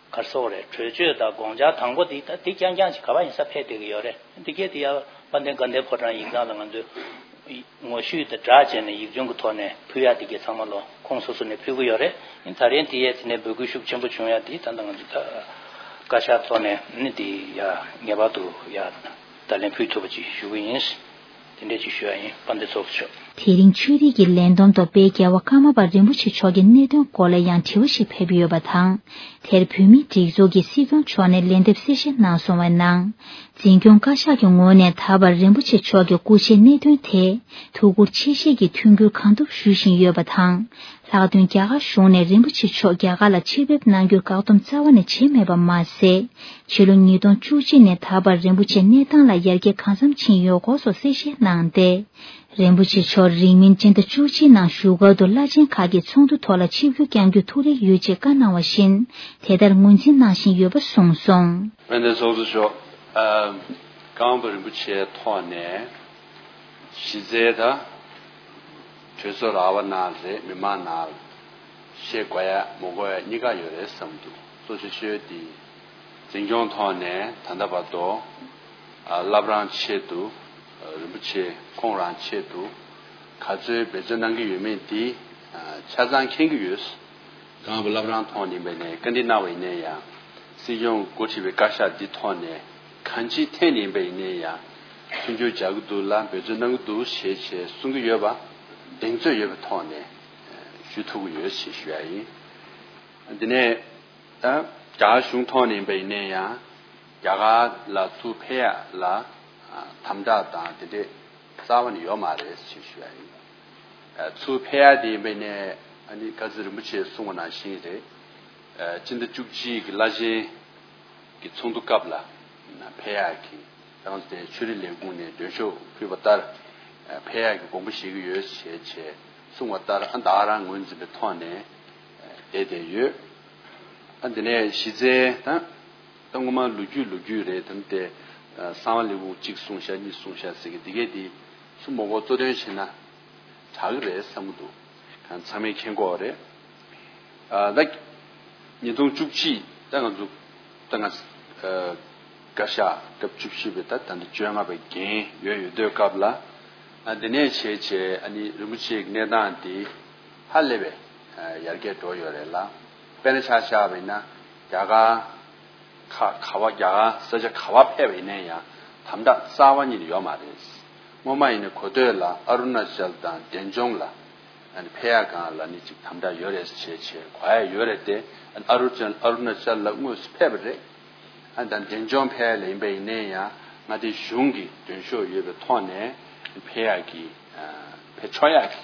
གར་སོགས་རེད། གྲོས་ཆོད་དང་དགོངས་འཆར་དང་པོ་དེ་ད་དེ་རྐྱང་རྐྱང་ཅིག་ག་པར་ཡིན་ས་ཕེབས་བསྡད་ཀྱི་ཡོད་རེད། འདི་གས་དེ་ཡ་དཔལ་ལྡན་དགའ་ལྡན་ཕོ་བྲང་ཡིག་ཚང་ལ་ང་ཚོས་ངོ་བཤུས་དང་སྦྲགས་བྱས་ནས་ཡིག་ཆུང་གི་ཐོག་ནས་ཕུལ་ཡག་དེ་གས་ཚང་མ་ལོ་ཁོང་སོ་སོ་ནས་ཕུལ་གྱི་ཡོད་རེད། ཨིན་ད་རིང་དེ་ཡས་དེ་ནས་འབོད་སྐུལ་ཤུགས་ཆེན་པོ་བྱུང་ཡག་དེ་ད་ལྟ་ང་ཚོ་ད་བཀའ་ཤག་ཐོག་ནས་ནི་དེ་ཡ་ངེས་པར་དུ་ཡ་བརྡ་ལན་ཕུལ་ཐུབ་པ་ཅིག་ཞུ་གི་ཡིན། དེ་འདྲས་ཅིག་ཞུ་ཡག་ཡིན། དཔལ་ལྡན་ཚོགས་གཙོ་མཆོག་དེ་རིང་ཆོས་རིག་གི་ལས་བསྡོམས་ཐོག་དཔལ་རྒྱལ་བ་ཀརྨ་པ་རིན་པོ་ཆེ་མཆོག་གི་གནད་དོན་སྐོར་ལ་ཡང་དྲི་བ་ཞིག་ཕེབས་ཡོད་པ་དང་། དེར་བོད་མིའི་སྒྲིག་འཛུགས་ཀྱི་སྲིད་སྐྱོང་མཆོག་ནས་ལན་འདེབས་གསལ་བཤད་གནང་སོང་བའི་ནང་། འཛིན་སྐྱོང་བཀའ་ཤག་གི་ངོས་ནས་ད་བར་རིན་པོ་ཆེ་མཆོག་གི་སྐུ་ཕྱྭའི་གནད་དོན་ཐད་ཐུགས་ཁུར་ཆེ་བཞེས་ཀྱིས་མཐུན་འགྱུར་གང་ཐུབ་ཞུ་བཞིན་ཡོད་པ་དང་། ལྷག་དོན་རྒྱ་གར་གཞུང་ནས་རིན་པོ་ཆེ་མཆོག་རྒྱ་གར་ལ་ཆེད་ཕེབས་གནང་རྒྱུར་བཀག་སྡོམ་རྩ་བ་ནས་བྱས་མེད་པ་མ་ཟད། ཕྱི་ལོ་ཉིས་སྟོང་བཅུ་གཅིག་ནས་ད་བར་རིན་པོ་ཆེ་གནས་སྟངས་ལ་ཡར་རྒྱས་གང་འཚམ་ཕྱིན་ཡོད་སྐོར་སོགས་གསལ་བཤད་གནང་སྟེ། རིན་པོ་ཆེ་མཆོག་རིང་མིན་སྤྱི་ཟླ་བཅུ་གཅིག་ནང་བཞུགས་སྒར་དུ་བླ་ཆེན་ཁག་གི་ཚོགས་འདུ་ཐོག་ལ་ཆིབས་བསྒྱུར་བསྐྱང་རྒྱུ་ཐུགས་རེ་ཡོད་ཅེས་བཀའ་གནང་བ་བཞིན་དེ་ལྟར་ངོས་འཛིན་གནང་བཞིན་ཡོད་པ་གསུངས་སོང་། དཔལ་ལྡན་ཚོགས་གཙོ་མཆོག་ཨ། ཀརྨ་པ་རིན་པོ་ཆེའི་ཐོག་ནས་གཞི་རྩའི་ད་གྲོས་ཚོགས་ར་བ་ནང་རེད། མི་མང་ནང་བཤད་དགོས་ཡ་མ་དགོས་ཡ་གཉིས་ཀ་ཡོད་རེད་བསམ་འདུག་གཙོ་ཆེ་ཤོས་དེ་འཛིན་སྐྱོང་ཐོག་ནས་ད་ལྟ་བར་དུ་ཨ། བླ་བྲང་ཆེད་དུ་ཨ། རིན་པོ་ཆེ་ཁོང་རང་ཆེད་དུ་ག་ཚོད་འབད་བརྩོན་གནང་གི་ཡོད་མེད་དེ་ཨ། ཆ་ཚང་མཁྱེན་གྱི་ཡོད། ཀརྨ་པ་བླ་བྲང་ཐོག་ནས་ཡིན་པ་ཡིན་ནའི་བཀའ་འདྲི་གནང་བ་ཡིན་ནའི་ཡང་། སྲིད་སྐྱོང་འགོ་ཁྲིད་པའི་བཀའ་ཤག་འདི་ཐོག་ནས་གང་ཅིའི་ཐད་ནས་ཡིན་པ་ཡིན་ནའི་ཡང་མཐུན་འགྱུར་རྒྱག་གི་འདུག་ལ་འབད་བརྩོན་གནང་གི་འདུག་ཞེས་བྱས་གསུང་གི་ཡོད་པ་གདེང་ཚོད་ཡོད་པའི་ཐོག་ནས་ཞུ་ཐུབ་ཀྱི་ཡོད་ཞེས་ཞུ་ཡ་ཡིན། འདི་ནས་ད་རྒྱ་གཞུང་ཐོག་ནས་ཡིན་པ་ཡིན་ནའི་ཡང་རྒྱ་གར་ལ་ཚུར་ཕེབས་ཡ་ལ་དམ་དྲག་དང་དེ་འདྲས་རྩ་བ་ནས་ཡོད་མ་རེད་ཞེས་ཞུ་ཡ་ཡིན། ཚུར་ཕེབས་ཡ་དེ་ཡིན་པ་ནས་ཨ་ནི་བཀའ་བརྒྱུད་རིན་པོ་ཆེས་གསུངས་པ་ནང་བཞིན་རེད། སྤྱི་ཟླ་བཅུ་གཅིག་གི་བླ་ཆེན་གྱི་ཚོགས་འདུ་སྐབས་ལ་ཕེབས་ཡ་གི་རང་དེ་ཆོས་རིག་ལས་ཁུངས་ནས་མགྲོན་ཤོག་ཕུལ་བ་ལྟར་ཕེབས་ཡ་གི་དགོངས་པ་བཞེས་ཀྱི་ཡོད་ཞེས་བྱས་གསུངས་པ་ལྟར་ཨ་ད་ག་རང་ངོས་འཛིན་པའི་ཐོག་ནས་བསྡད་བསྡད་ཡོད། ཨ་འདི་ནས་གཞི་རྩའི་ད། ད་སྔོན་མ་ལོ་རྒྱུས་ལོ་རྒྱུས་རེད་དམ་དེ། གསང་བ་ལས་ཁུངས་གཅིག་གསུངས་ཤག་གཉིས་གསུངས་ཤག་ཟེར་གི་འདི་གས་འདི་སུ་མོ་གོ་གཙོ་འདོན་བྱས་ན་དྲག་གི་རེད་བསམ་གི་འདུག་གང་ཚང་མས་མཁྱེན་གོ་རེད། ད་ཉིས་སྟོང་བཅུ་གཅིག་ད་ང་ཚོ་ད་ང་བཀའ་ཤག་སྐབས་བཅུ་བཞི་པའི་ད་ད་ལྟ་བཅོ་ལྔ་པའི་འགན་ཡོད་ཡོད་དུས་སྐབས་ལ་འདི་ནས་བྱས་བྱས་ཨ་ནི་རིན་པོ་ཆེའི་གནས་སྟངས་འདི་ཧ་ལས་པའི་ཡར་རྒྱས་འགྲོ་ཡོད་རེད་ལ། དཔེར་ན་ཆ་བཞག་པ་ཡིན་ན་རྒྱ་གར། ཁ་ག་བ་རྒྱ་གར་ས་ཆ་ག་བ་ཕེབས་པ་ཡིན་ན་ཡང་དམ་དྲག་རྩ་བ་ཉིད་ནས་ཡོད་མ་རེད། སྔོན་མ་ཡིན་ན་གོ་ཐོས་ལ་ཨ་རུ་ན་ཅལ་དང་འབྲས་ལྗོངས་ལ་ཨ་ནི་ཕེབས་ཡག་སྒང་ལ་ནི་ཅིག་དམ་དྲག་ཡོད་རེད་ཟེར་བྱས་བྱས་གོ་ཡ་ཡོད་རེད་དེ། ཨ་རུ་ཅལ་ཨ་རུ་ན་ཅལ་ལ་དངོས་སུ་ཕེབས་པ་རེད། ཨ་ནི་ད་འབྲས་ལྗོངས་ཕེབས་ཡ་ལ་ཡིན་པ་ཡིན་ན་ཡང་མངའ་སྡེ་གཞུང་གི་མགྲོན་ཤོག་ཡོད་པའི་ཐོག་ནས་ཕེབས་ཡག་གི་ཕེབས་ཆོག་ཡག་གི་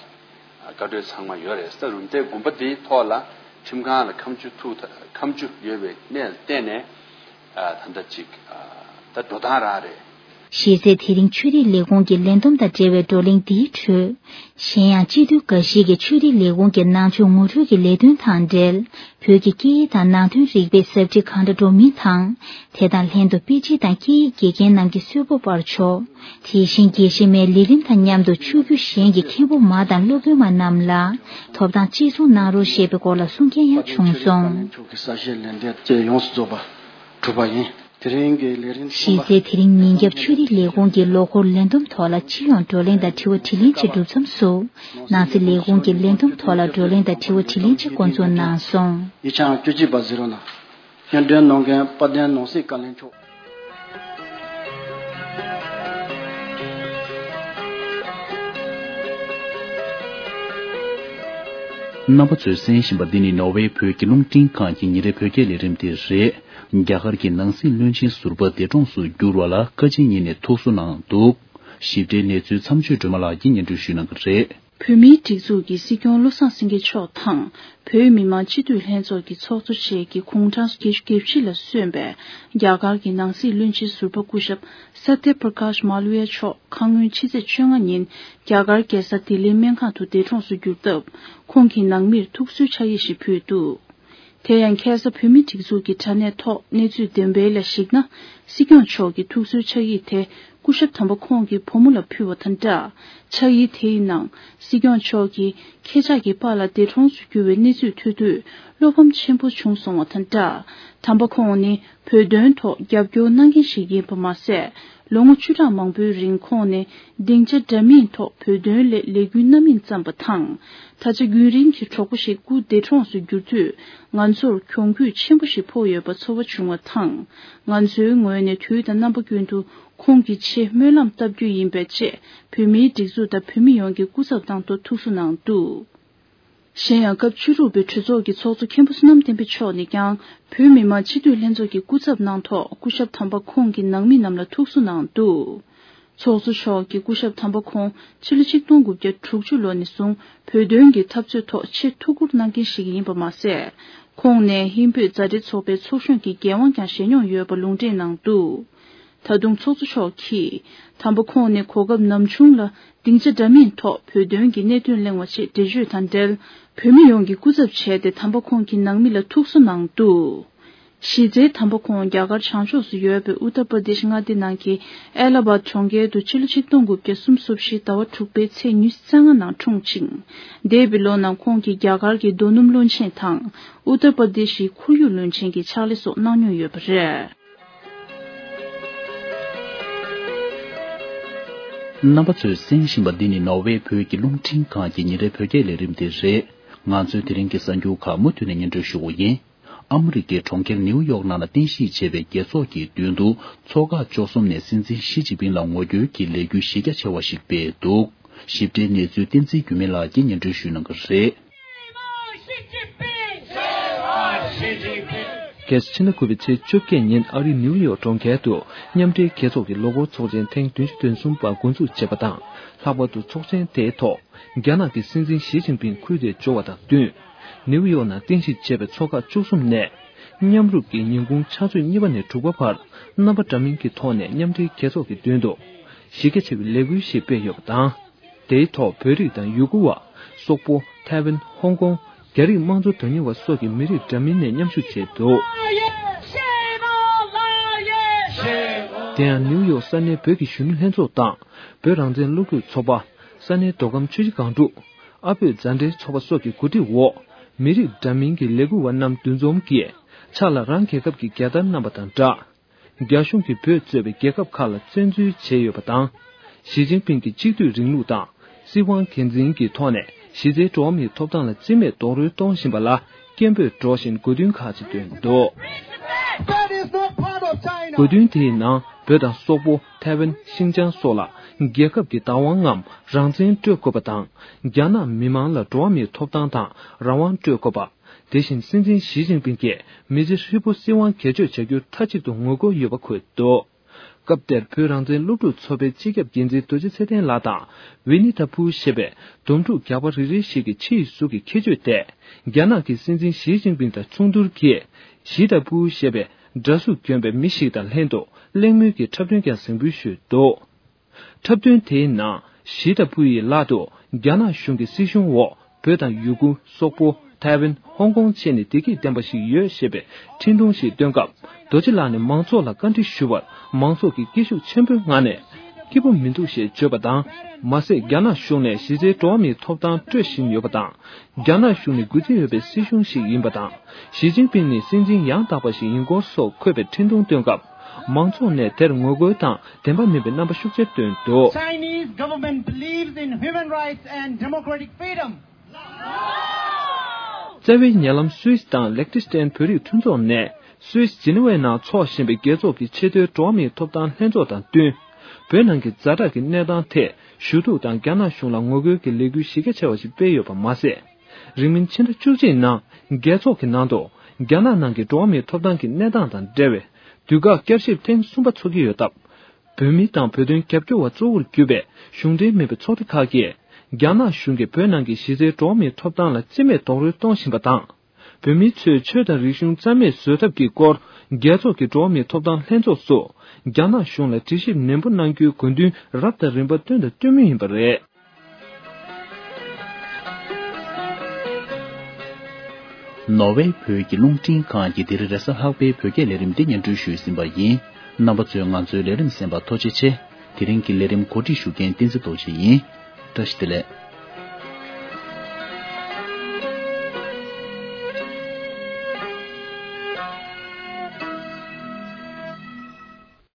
བཀའ་འཁྲོལ་ཚང་མ་ཡོད་རེད། ས་རུམ་བཏེག་དགོན་པ་འདིའི་ཐོག་ལ་ཁྲིམས་ཁང་ལ་ཁ་མཆུ་ཐུག་ཁ་མཆུ་ཡོད་པའི་གནས་ལ་བརྟེན་ནས་ད་ལྟ་ཅིག་ད་འགྲོ་སྟངས་རང་རེད། གཞི་རྩའི་དེ་རིང་ཆོས་རིག་ལས་ཁུངས་ཀྱི་ལས་བསྡོམས་དང་འབྲེལ་བའི་བགྲོ་གླེང་འདིའི་ཁྲོད། གཞན་ཡང་སྤྱི་འཐུས་འགའ་ཞིག་གིས་ཆོས་རིག་ལས་ཁུངས་ཀྱི་ནང་ཆོས་ངོ་སྤྲོད་ཀྱི་ལས་དོན་དང་འབྲེལ། བོད་ཀྱི་སྐད་ཡིག་དང་ནང་དོན་རིག་པའི་ཟབ་ཁྲིད་གང་འདྲ་སྒྲུབ་མིན་དང་། དེ་དང་ལྷན་དུ་དཔེ་ཁྲིད་དང་སྐད་ཡིག་དགེ་རྒན་རྣམས་ཀྱི་གསོལ་ཕོགས་སྤར་ཆོག་དེ་བཞིན་དགེ་བཤེས་མའི་ལས་རིམ་དང་མཉམ་དུ་ཆོས་བརྒྱུད་གཞན་གྱི་མཁན་པོ་མ་དང་སློབ་དཔོན་མ་རྣམས་ལ་ཐོབ་ཐང་གཅིག་མཚུངས་གནང་རོགས་ཞེས་པའི་སྐོར་ལ་གསུང་མཁན་ཡང་བྱུང་སོང་། ཆོས་ཀྱི་གསལ་བཤད་ལན་འདེབས་བཅས་ཡོངས་སུ་རྫོགས་པ་གྲུབ་པ་ཡིན། དེ་རིང་གི་ལས་རིམ་གསུམ་པ། གཞི་རྩའི་དེ་རིང་ཉིན་རྒྱབ་ཆོས་རིག་ལས་ཁུངས་ཀྱི་ལོ་འཁོར་ལས་བསྡོམས་ཐོག་ལ་སྤྱི་ཡོངས་བགྲོ་གླེང་དང་དྲི་བ་དྲིས་ལན་བཅས་གྲུབ་མཚམས་སུ། ནང་སྲིད་ལས་ཁུངས་ཀྱི་ལས་བསྡོམས་ཐོག་ལ་བགྲོ་གླེང་དང་དྲི་བ་དྲིས་ལན་བཅས་འགོ་འཛུགས་གནང་སོང་། ཡིག་ཆ་བཅུ་གཅིག་པ་གཟིགས་རོགས་གནང་། སྙན་སྒྲོན་གནང་མཁན་དཔལ་ལྡན་ནང་སྲིད་བཀའ་བློན་མཆོག་རྣམ་པ་ཚོས་གསན་བཞིན་པ་འདི་ནི་ནོར་ཝེ་བོད་ཀྱི་རླུང་འཕྲིན་ཁང་གི་ཉིན་རེའི་བོད་སྐད་ལས་རིམ་དེ་རེད། རྒྱ་གར་གྱི་ནང་སྲིད་བློན་ཆེན་ཟུར་པ་འདས་གྲོངས་སུ་གྱུར་བ་ལ་བཀའ་སྤྱི་གཉིས་ནས་ཐུགས་གསོ་གནང་འདུག་ཞིབ་ཕྲའི་གནས་ཚུལ་མཚམས་གཅོད་སྒྲོལ་མ་ལགས་ཀྱིས་སྙན་སྒྲོན་ཞུ་གནང་གི་རེད། བོད་མིའི་སྒྲིག་འཛུགས་ཀྱི་སྲིད་སྐྱོང་བློ་བཟང་སེང་གེ་མཆོག་དང་། བོད་མི་མང་སྤྱི་འཐུས་ལྷན་ཚོགས་ཀྱི་ཚོགས་གཙོ་བཅས་ཀྱི་དགུང་གྲངས་བརྒྱད་ཅུ་གྱ་བཞི་ལ་སོན་པའི་རྒྱ་གར་གྱི་ནང་སྲིད་བློན་ཆེན་ཟུར་པ་སྐུ་ཞབས་སཏྱ་པྲ་ཀཱཤ་མཱ་ལ་ཝི་ཡ་མཆོག་ཁ་སྔོན་ཕྱི་ཚེས་བཅོ་ལྔ་ཉིན་རྒྱ་གར་རྒྱལ་ས་ལྡི་ལིའི་སྨན་ཁང་དུ་འདས་གྲོངས་སུ་གྱུར་སྟབས། ཁོང་གི་ནང་མིར་ཐུགས་གསོའི་ཕྱག་ཡིག་ཞིག་ཕུལ་འདུག་དེ་ཡང་ཁ་སང་བོད་མིའི་སྒྲིག་འཛུགས་ཀྱི་དྲ་གནས་ཐོག་གནས་ཚུལ་བདུན་པའི་ལ་གཞིགས་ན། སྲིད་སྐྱོང་མཆོག་གི་ཐུགས་གསོའི་ཕྱག་ཡིག་དེ་སྐུ་ཞབས་དམ་པ་ཁོང་གི་བུ་མོ་ལ་ཕུལ་བ་དང་སྦྲགས། ཕྱག་ཡིག་དེའི་ནང་སྲིད་སྐྱོང་མཆོག་གིས་ཁྱེད་ཅག་གི་པཱ་ལགས་འདས་གྲོངས་སུ་གྱུར་བའི་གནས་ཚུལ་ཐོས་དུས་བློ་ཕམ་ཆེན་པོ་བྱུང་སོང་བ་དང་སྦྲགས། དམ་པ་ཁོང་ནི་བོད་དོན་ཐོག་རྒྱབ་སྐྱོར་གནང་མཁན་ཞིག་ཡིན་པ་མ་ཟད། ལོ་ངོ་བཅུ་ཕྲག་མང་པོའི་རིང་ཁོང་ནི་སྡིངས་ཆ་འདྲ་མིན་ཐོག་བོད་དོན་སླད་ལས་འགུལ་སྣ་མིན་བརྩམས་པ་དང་། ད་ཆ་རྒྱུན་རིང་གི་གྲོགས་པོ་ཞིག་སྐུ་འདས་གྲོངས་སུ་གྱུར་དུས། ང་ཚོར་གྱོང་གུད་ཆེན་པོ་ཞིག་ཕོག་ཡོད་པ་ཚོར་བ་བྱུང་བ་དང་། ང་ཚོའི་ངོས་ནས་དུས་དང་རྣམ་པ་ཀུན་ཏུ་ཁོང་གི་ཆེད་སྨོན་ལམ་བཏབ་རྒྱུ་ཡིན་པས་ཅེས་བོད་མིའི་སྒྲིག་འཛུགས་དང་བོད་མི་ཡོངས་ཀྱི་སྐུ་ཚབ་དང་ཐོག་ཐུགས་གསོ་གནང་འདུག་གཞན་ཡང་། སྐབས་བཅུ་དྲུག་པའི་གྲོས་ཚོགས་ཀྱི་ཚོགས་གཙོ་མཁན་པོ་བསོད་ནམས་བསྟན་འཕེལ་མཆོག་ནས་ཀྱང་བོད་མི་མང་སྤྱི་འཐུས་ལྷན་ཚོགས་ཀྱི་སྐུ་ཚབ་གནང་ཐོག་སྐུ་ཞབས་དམ་པ་ཁོང་གི་ནང་མི་རྣམས་ལ་ཐུགས་གསོ་གནང་འདུག་ཚོགས་གཙོ་མཆོག་གིས་སྐུ་ཞབས་དམ་པ་ཁོང་ཕྱི་ལོ་ཆིག་སྟོང་དགུ་བརྒྱ་དྲུག་ཅུ་ལོ་ནས་བཟུང་བོད་དོན་གྱི་འཐབ་རྩོད་ཐོག་ཆེས་ཐུགས་ཁུར་གནང་མཁན་ཞིག་ཡིན་པ་མ་ཟད། ཁོང་ནས་ཧིན་བོད་མཛའ་འབྲེལ་ཚོགས་པའི་ཚོགས་གཞོན་གྱི་འགན་དབང་ཀྱང་བཞེས་མྱོང་ཡོད་པ་ལུང་འདྲེན་གནང་འདུག་ད་དུང་ཚོགས་གཙོ་མཆོག་གིས་དམ་པ་ཁོང་ནས་གོ་སྐབས་ནམ་བྱུང་ལ་སྡིངས་ཆ་འདྲ་མིན་ཐོག་བོད་དོན་གྱི་གནད་དོན་གླེང་བ་ཆེད་འགྲེལ་བརྗོད་དང་འབྲེལ། བོད་མི་ཡོངས་ཀྱི་སྐུ་ཚབ་བྱས་ཏེ་དམ་པ་ཁོང་གི་ནང་མི་ལ་ཐུགས་གསོ་གནང་འདུག་གཞི་རྩའི་དམ་པ་ཁོང་རྒྱ་གར་བྱང་ཕྱོགས་སུ་ཡོད་པའི་ཨུ་ཏར་པར་དེཤ་མངའ་སྡེ་ནང་གི་ཨེ་ལ་ཧ་བཱད་གྲོང་ཁྱེར་དུ་ཕྱི་ལོ་ཆིག་སྟོང་དགུ་བརྒྱ་སུམ་ཅུ་སོ་བཞི་ཟླ་བ་དྲུག་པའི་ཚེས་ཉི་ཤུ་རྩ་ལྔ་ནང་འཁྲུངས་ཤིང་། འདས་པའི་ལོ་ནང་ཁོང་གིས་རྒྱ་གར་གྱི་རྡོ་སྣུམ་བློན་ཆེན་དང་ཨུ་ཏར་པར་དེཤ་ཡི་ཁོར་ཡུག་བློན་ཆེན་གྱི་ཕྱག་ལས་སོགས་གནང་མྱོང་ཡོད་པ་རེད། རྣམ་པ་ཚོས་གསན་བཞིན་པ་འདི་ནི་ནོར་ཝེ་བོད་ཀྱི་རླུང་འཕྲིན་ཁང་གི་ཉིན་རེའི་བོད་སྐད་ལས་རིམ་དེ་རེད། ང་ཚོའི་དེ་རིང་གི་གསར་འགྱུར་ཁག་མུ་མཐུད་ནས་སྙན་སྒྲོན་ཞུ་གི་ཡིན། ཨ་མི་རི་ཀའི་གྲོང་ཁྱེར་ནིའུ་ཡོག་ནང་ལ་རྟེན་གཞི་བྱས་པའི་རྒྱལ་ཚོགས་ཀྱི་མདུན་དུ་ཚོགས་ཁག་བཅུ་གསུམ་ནས་སྲིད་འཛིན་ཞི་ཅིན་ཕིང་ལ་ངོ་རྒོལ་གྱི་ལས་འགུལ་གཞི་རྒྱ་ཆེ་བ་ཞིག་སྤེལ་འདུག་ཞིབ་ཕྲའི་གནས་ཚུལ་བསྟན་འཛིན་འགྱུར་མེད་ལགས་ཀྱིས་སྙན་སྒྲོན་ཞུ་གནང་གི་རེད། རྒྱལ་སྤྱི་ཕྱི་ཟླ་དགུ་པའི་ཚེས་བཅོ་བརྒྱད་ཉིན་ཨ་རིའི་ནིའུ་ཡོག་གྲོང་ཁྱེར་དུ་མཉམ་འབྲེལ་རྒྱལ་ཚོགས་ཀྱི་ལོ་འཁོར་ཚོགས་ཆེན་ཐེངས་བདུན་ཅུ་དོན་གསུམ་པ་འགོ་འཛུགས་བྱས་པ་དང་། ལྷག་པར་དུ་ཚོགས་ཆེན་དེའི་ཐོག་རྒྱ་ནག་གི་སྲིད་འཛིན་ཞི་ཅིན་ཕིང་ཁུལ་དེར་འབྱོར་བ་དང་བསྟུན། ནིའུ་ཡོག་ནང་རྟེན་གཞི་བྱས་པའི་ཚོགས་ཁག་བཅུ་གསུམ་ནས་མཉམ་རུབ་ཀྱིས་ཉིན་གུང་ཕྱག་ཚོད་གཉིས་པ་ནས་དྲུག་པ་བར་རྣམ་པ་འདྲ་མིན་གྱི་ཐོག་ནས་མཉམ་འབྲེལ་རྒྱལ་ཚོགས་ཀྱི་མདུན་དུ་གཞི་རྒྱ་ཆེ་བའི་ལས་འགུལ་ཞིག་སྤེལ་ཡོད་པ་དང་། དེའི་ཐོག་བོད་རིགས་དང་ཡུ་གུར་བ། སོག་པོ། ཐའེ་ཝན། ཧོང་ཀོང་། རྒྱ་རིགས་དམངས་གཙོ་དོན་གཉེར་བ་སོགས་ཀྱི་མི་རིགས་འདྲ་མིན་ནས་མཉམ་ཞུགས་བྱས་འདུག་དེ་ཡང་ནིའུ་ཡོག་ས་གནས་བོད་ཀྱི་གཞོན་ནུ་ལྷན་ཚོགས་དང་། བོད་རང་བཙན་སློབ་ཕྲུག་ཚོགས་པ། ས་གནས་མདོ་ཁམས་ཆུ་བཞི་སྒང་དྲུག་ཨ་བོད་མཛའ་འབྲེལ་ཚོགས་པ་སོགས་ཀྱི་གོ་སྒྲིག་འོག་མི་རིགས་འདྲ་མིན་གྱི་ལས་འགུལ་བ་རྣམས་འདུ་འཛོམས་ཀྱིས། ཕྱག་ལ་རང་རྒྱལ་ཁབ་ཀྱི་རྒྱལ་དར་བསྣམས་པ་དང་སྦྲགས། རྒྱ་གཞུང་གིས་བོད་གཙོས་པའི་རྒྱལ་ཁབ་ཁག་ལ་བཙན་འཛུལ་བྱས་ཡོད་པ་དང་། ཞི་ཅིན་ཕིང་གིས་གཅིག་སྡུད་རིང་ལུགས་དང་། སྲིད་དབང་སྒེར་འཛིན་གྱི་ཐོག་ནས་གཞི་རྩའི་འགྲོ་བ་མིའི་ཐོབ་ཐང་ལ་རྩིས་མེད་རྡོག་རོལ་གཏོང་བཞིན་པ་ལ་སྐད་འབོད་སྒྲོག་བཞིན་དགོས་འདུན་ཁག་ཅིག་བཏོན་འདུག That is not part of China. དགོས་འདུན་དེའི་ནང་བོད་དང་སོག་པོ། ཐའེ་ཝན། ཤིན་ཅང་སོགས་ལ་རྒྱལ་ཁབ་ཀྱི་བདག་དབང་ངམ་རང་བཙན་སྤྲོད་དགོས་པ་དང་། རྒྱ་ནག་མི་མང་ལ་འགྲོ་བ་མིའི་ཐོབ་ཐང་དང་རང་དབང་སྤྲོད་དགོས་པ། དེ་བཞིན་སྲིད་འཛིན་ཞི་ཅིན་ཕིང་གིས་མི་ཚེ་ཧྲིལ་པོ་སྲིད་དབང་སྒེར་གཅོད་བྱ་རྒྱུར་མཐའ་གཅིག་ཏུ་ངོ་རྒོལ་ཡོད་པ་འཁོད་འདུག་སྐབས་དེར་བོད་རང་བཙན་སློབ་ཕྲུག་ཚོགས་པའི་སྤྱི་ཁྱབ་འགན་འཛིན་རྡོ་རྗེ་ཚེ་བརྟན་ལགས་དང་ཝི་ནི་ཐ་ཕུའུ་ཞེས་པའི་དོམ་ཕྲུག་རྒྱག་པ་རེ་རེ་ཞིག་གི་ཕྱི་ཡི་གཟུགས་ཀྱི་ཁྱད་ཆོས་དེ་རྒྱ་ནག་གི་སྲིད་འཛིན་ཞི་ཅིན་ཕིང་དང་མཚུངས་བསྡུར་གྱིས་ཞི་ཐ་ཕུའུ་ཞེས་པའི་འདྲ་གཟུགས་གྱོན་པའི་མི་ཞིག་དང་ལྷན་དུ་གླེང་མོལ་གྱི་འཁྲབ་སྟོན་ཀྱང་གཟིགས་འབུལ་ཞུས་འདུག་འཁྲབ་སྟོན་དེའི་ནང་ཞི་ཐ་ཕུའུ་ཡི་ལག་ཏུ་རྒྱ་ནག་གཞུང་གི་སྲིད་གཞུང་འོག་བོད་དང་ཡུ་གུར། སོག་པོ། ཐའེ་ཝན། ཧོང་ཀོང་བཅས་ནས་བདེ་སྐྱིད་ལྡན་པ་ཞིག་ཡོད་ཞེས་པའི་འཕྲིན་ཐུང་ཞིག་བཏོན་སྐབས། རྡོ་རྗེ་ལགས་ནས་མང་ཚོགས་ལ་བཀའ་འདྲི་ཞུ་བར་མང་ཚོགས་ཀྱིས་སྐད་ཤུགས་ཆེན་པོའི་ངང་ནས། སྐྱིད་པོ་མི་འདུག་ཞེས་བརྗོད་པ་དང་། མ་ཟད་རྒྱ་ནག་གཞུང་ནས་གཞི་རྩའི་འགྲོ་བ་མིའི་ཐོབ་ཐང་སྤྲོད་བཞིན་ཡོད་པ་དང་། རྒྱ་ནག་གཞུང་ནི་འགོ་ཁྲིད་ཡོད་པའི་སྲིད་གཞུང་ཞིག་ཡིན་པ་དང་། ཞི་ཅིན་ཕིང་ནི་སྲིད་འཛིན་ཡང་དག་པ་ཞིག་ཡིན་སྐོར་སོགས་འཁོད་པའི་འཕྲིན་ཐུང་བཏོན་སྐབས། མང་ཚོགས་ནས་དེར་ངོ་རྒོལ་དང་བདེན་པ་མིན་པའི་རྣམ་པ་ཤུགས་ཆེར་བཏོན་འདུག Chinese government believes in human rights and democratic freedom. རྩ་བའི་ཉེ་ལམ་སུད་སི་དང་ལེག་ཏི་སི་ཏན་བོད་རིགས་མཐུན་ཚོགས་ནས་སུད་སི་ཇི་ནི་ཝའི་ནང་འཚོགས་བཞིན་པའི་རྒྱལ་ཚོགས་ཀྱི་ཆེས་མཐོའི་འགྲོ་བ་མིའི་ཐོབ་ཐང་ལྷན་ཚོགས་དང་བསྟུན། བོད་ནང་གི་ཛ་དྲག་གི་གནས་སྟངས་ཐད་ཞུ་གཏུག་དང་རྒྱ་ནག་གཞུང་ལ་ངོ་རྒོལ་གྱི་ལས་འགུལ་གཞི་རྒྱ་ཆེ་བ་ཞིག་སྤེལ་ཡོད་པ་མ་ཟད། རིང་མིན་ཕྱི་ཟླ་བཅུ་གཅིག་ནང་རྒྱལ་ཚོགས་ཀྱི་ནང་དུ་རྒྱ་ནག་ནང་གི་འགྲོ་བ་མིའི་ཐོབ་ཐང་གི་གནས་སྟངས་དང་འབྲེལ་བའི་དུས་བཀག་བསྐྱར་ཞིབ་ཐེངས་གསུམ་པ་འཚོགས་ཀྱི་ཡོད་སྟབས། བོད་མི་དང་བོད་དོན་རྒྱབ་སྐྱོར་བ་གཙོ་བོར་གྱུར་པའི་གཞུང་འབྲེལ་མིན་པའི་ཚོགས་སྡེ་ཁག་གིས་རྒྱ་ནག་གཞུང་གིས་བོད་ནང་གི་གཞི་རྩའི་འགྲོ་བ་མིའི་ཐོབ་ཐང་ལ་རྩིས་མེད་རྡོག་རོལ་གཏོང་བཞིན་པ་དང་། བོད་མི་ཚོས་ཆོས་དང་རིག་གཞུང་རྩ་མེད་བཟོ་ཐབས་ཀྱི་སྐོར་རྒྱལ་ཚོགས་ཀྱི་འགྲོ་བ་མིའི་ཐོབ་ཐང་ལྷན་ཚོགས་སུ་རྒྱ་ནག་གཞུང་ལ་དྲི་ཞིབ་ནན་པོ་གནང་རྒྱུའི་དགོས་འདུན་རབ་དང་རིམ་པ་བཏོན་དང་བཏོན་མུས་ཡིན་པ་རེད། ནོར་ཝེ་བོད་ཀྱི་རླུང་འཕྲིན་ཁང་གིས་འདིར་རེས་གཟའ་ལྷག་པའི་བོད་སྐད་ལས་རིམ་འདི་སྙན་སྒྲོན་ཞུས་ཟིན་པ་ཡིན། རྣམ་པ་ཚོས་ང་ཚོའི་ལས་རིམ་གསན་པར་ཐུགས་རྗེ་ཆེ། དེ་རིང་གི་ལས་རིམ་གོ་སྒྲིག་ཞུ་མཁན་བསྟན་འཛིན་རྡོ་རྗེ་ཡིན། བཀྲ་ཤིས་བདེ་ལེགས།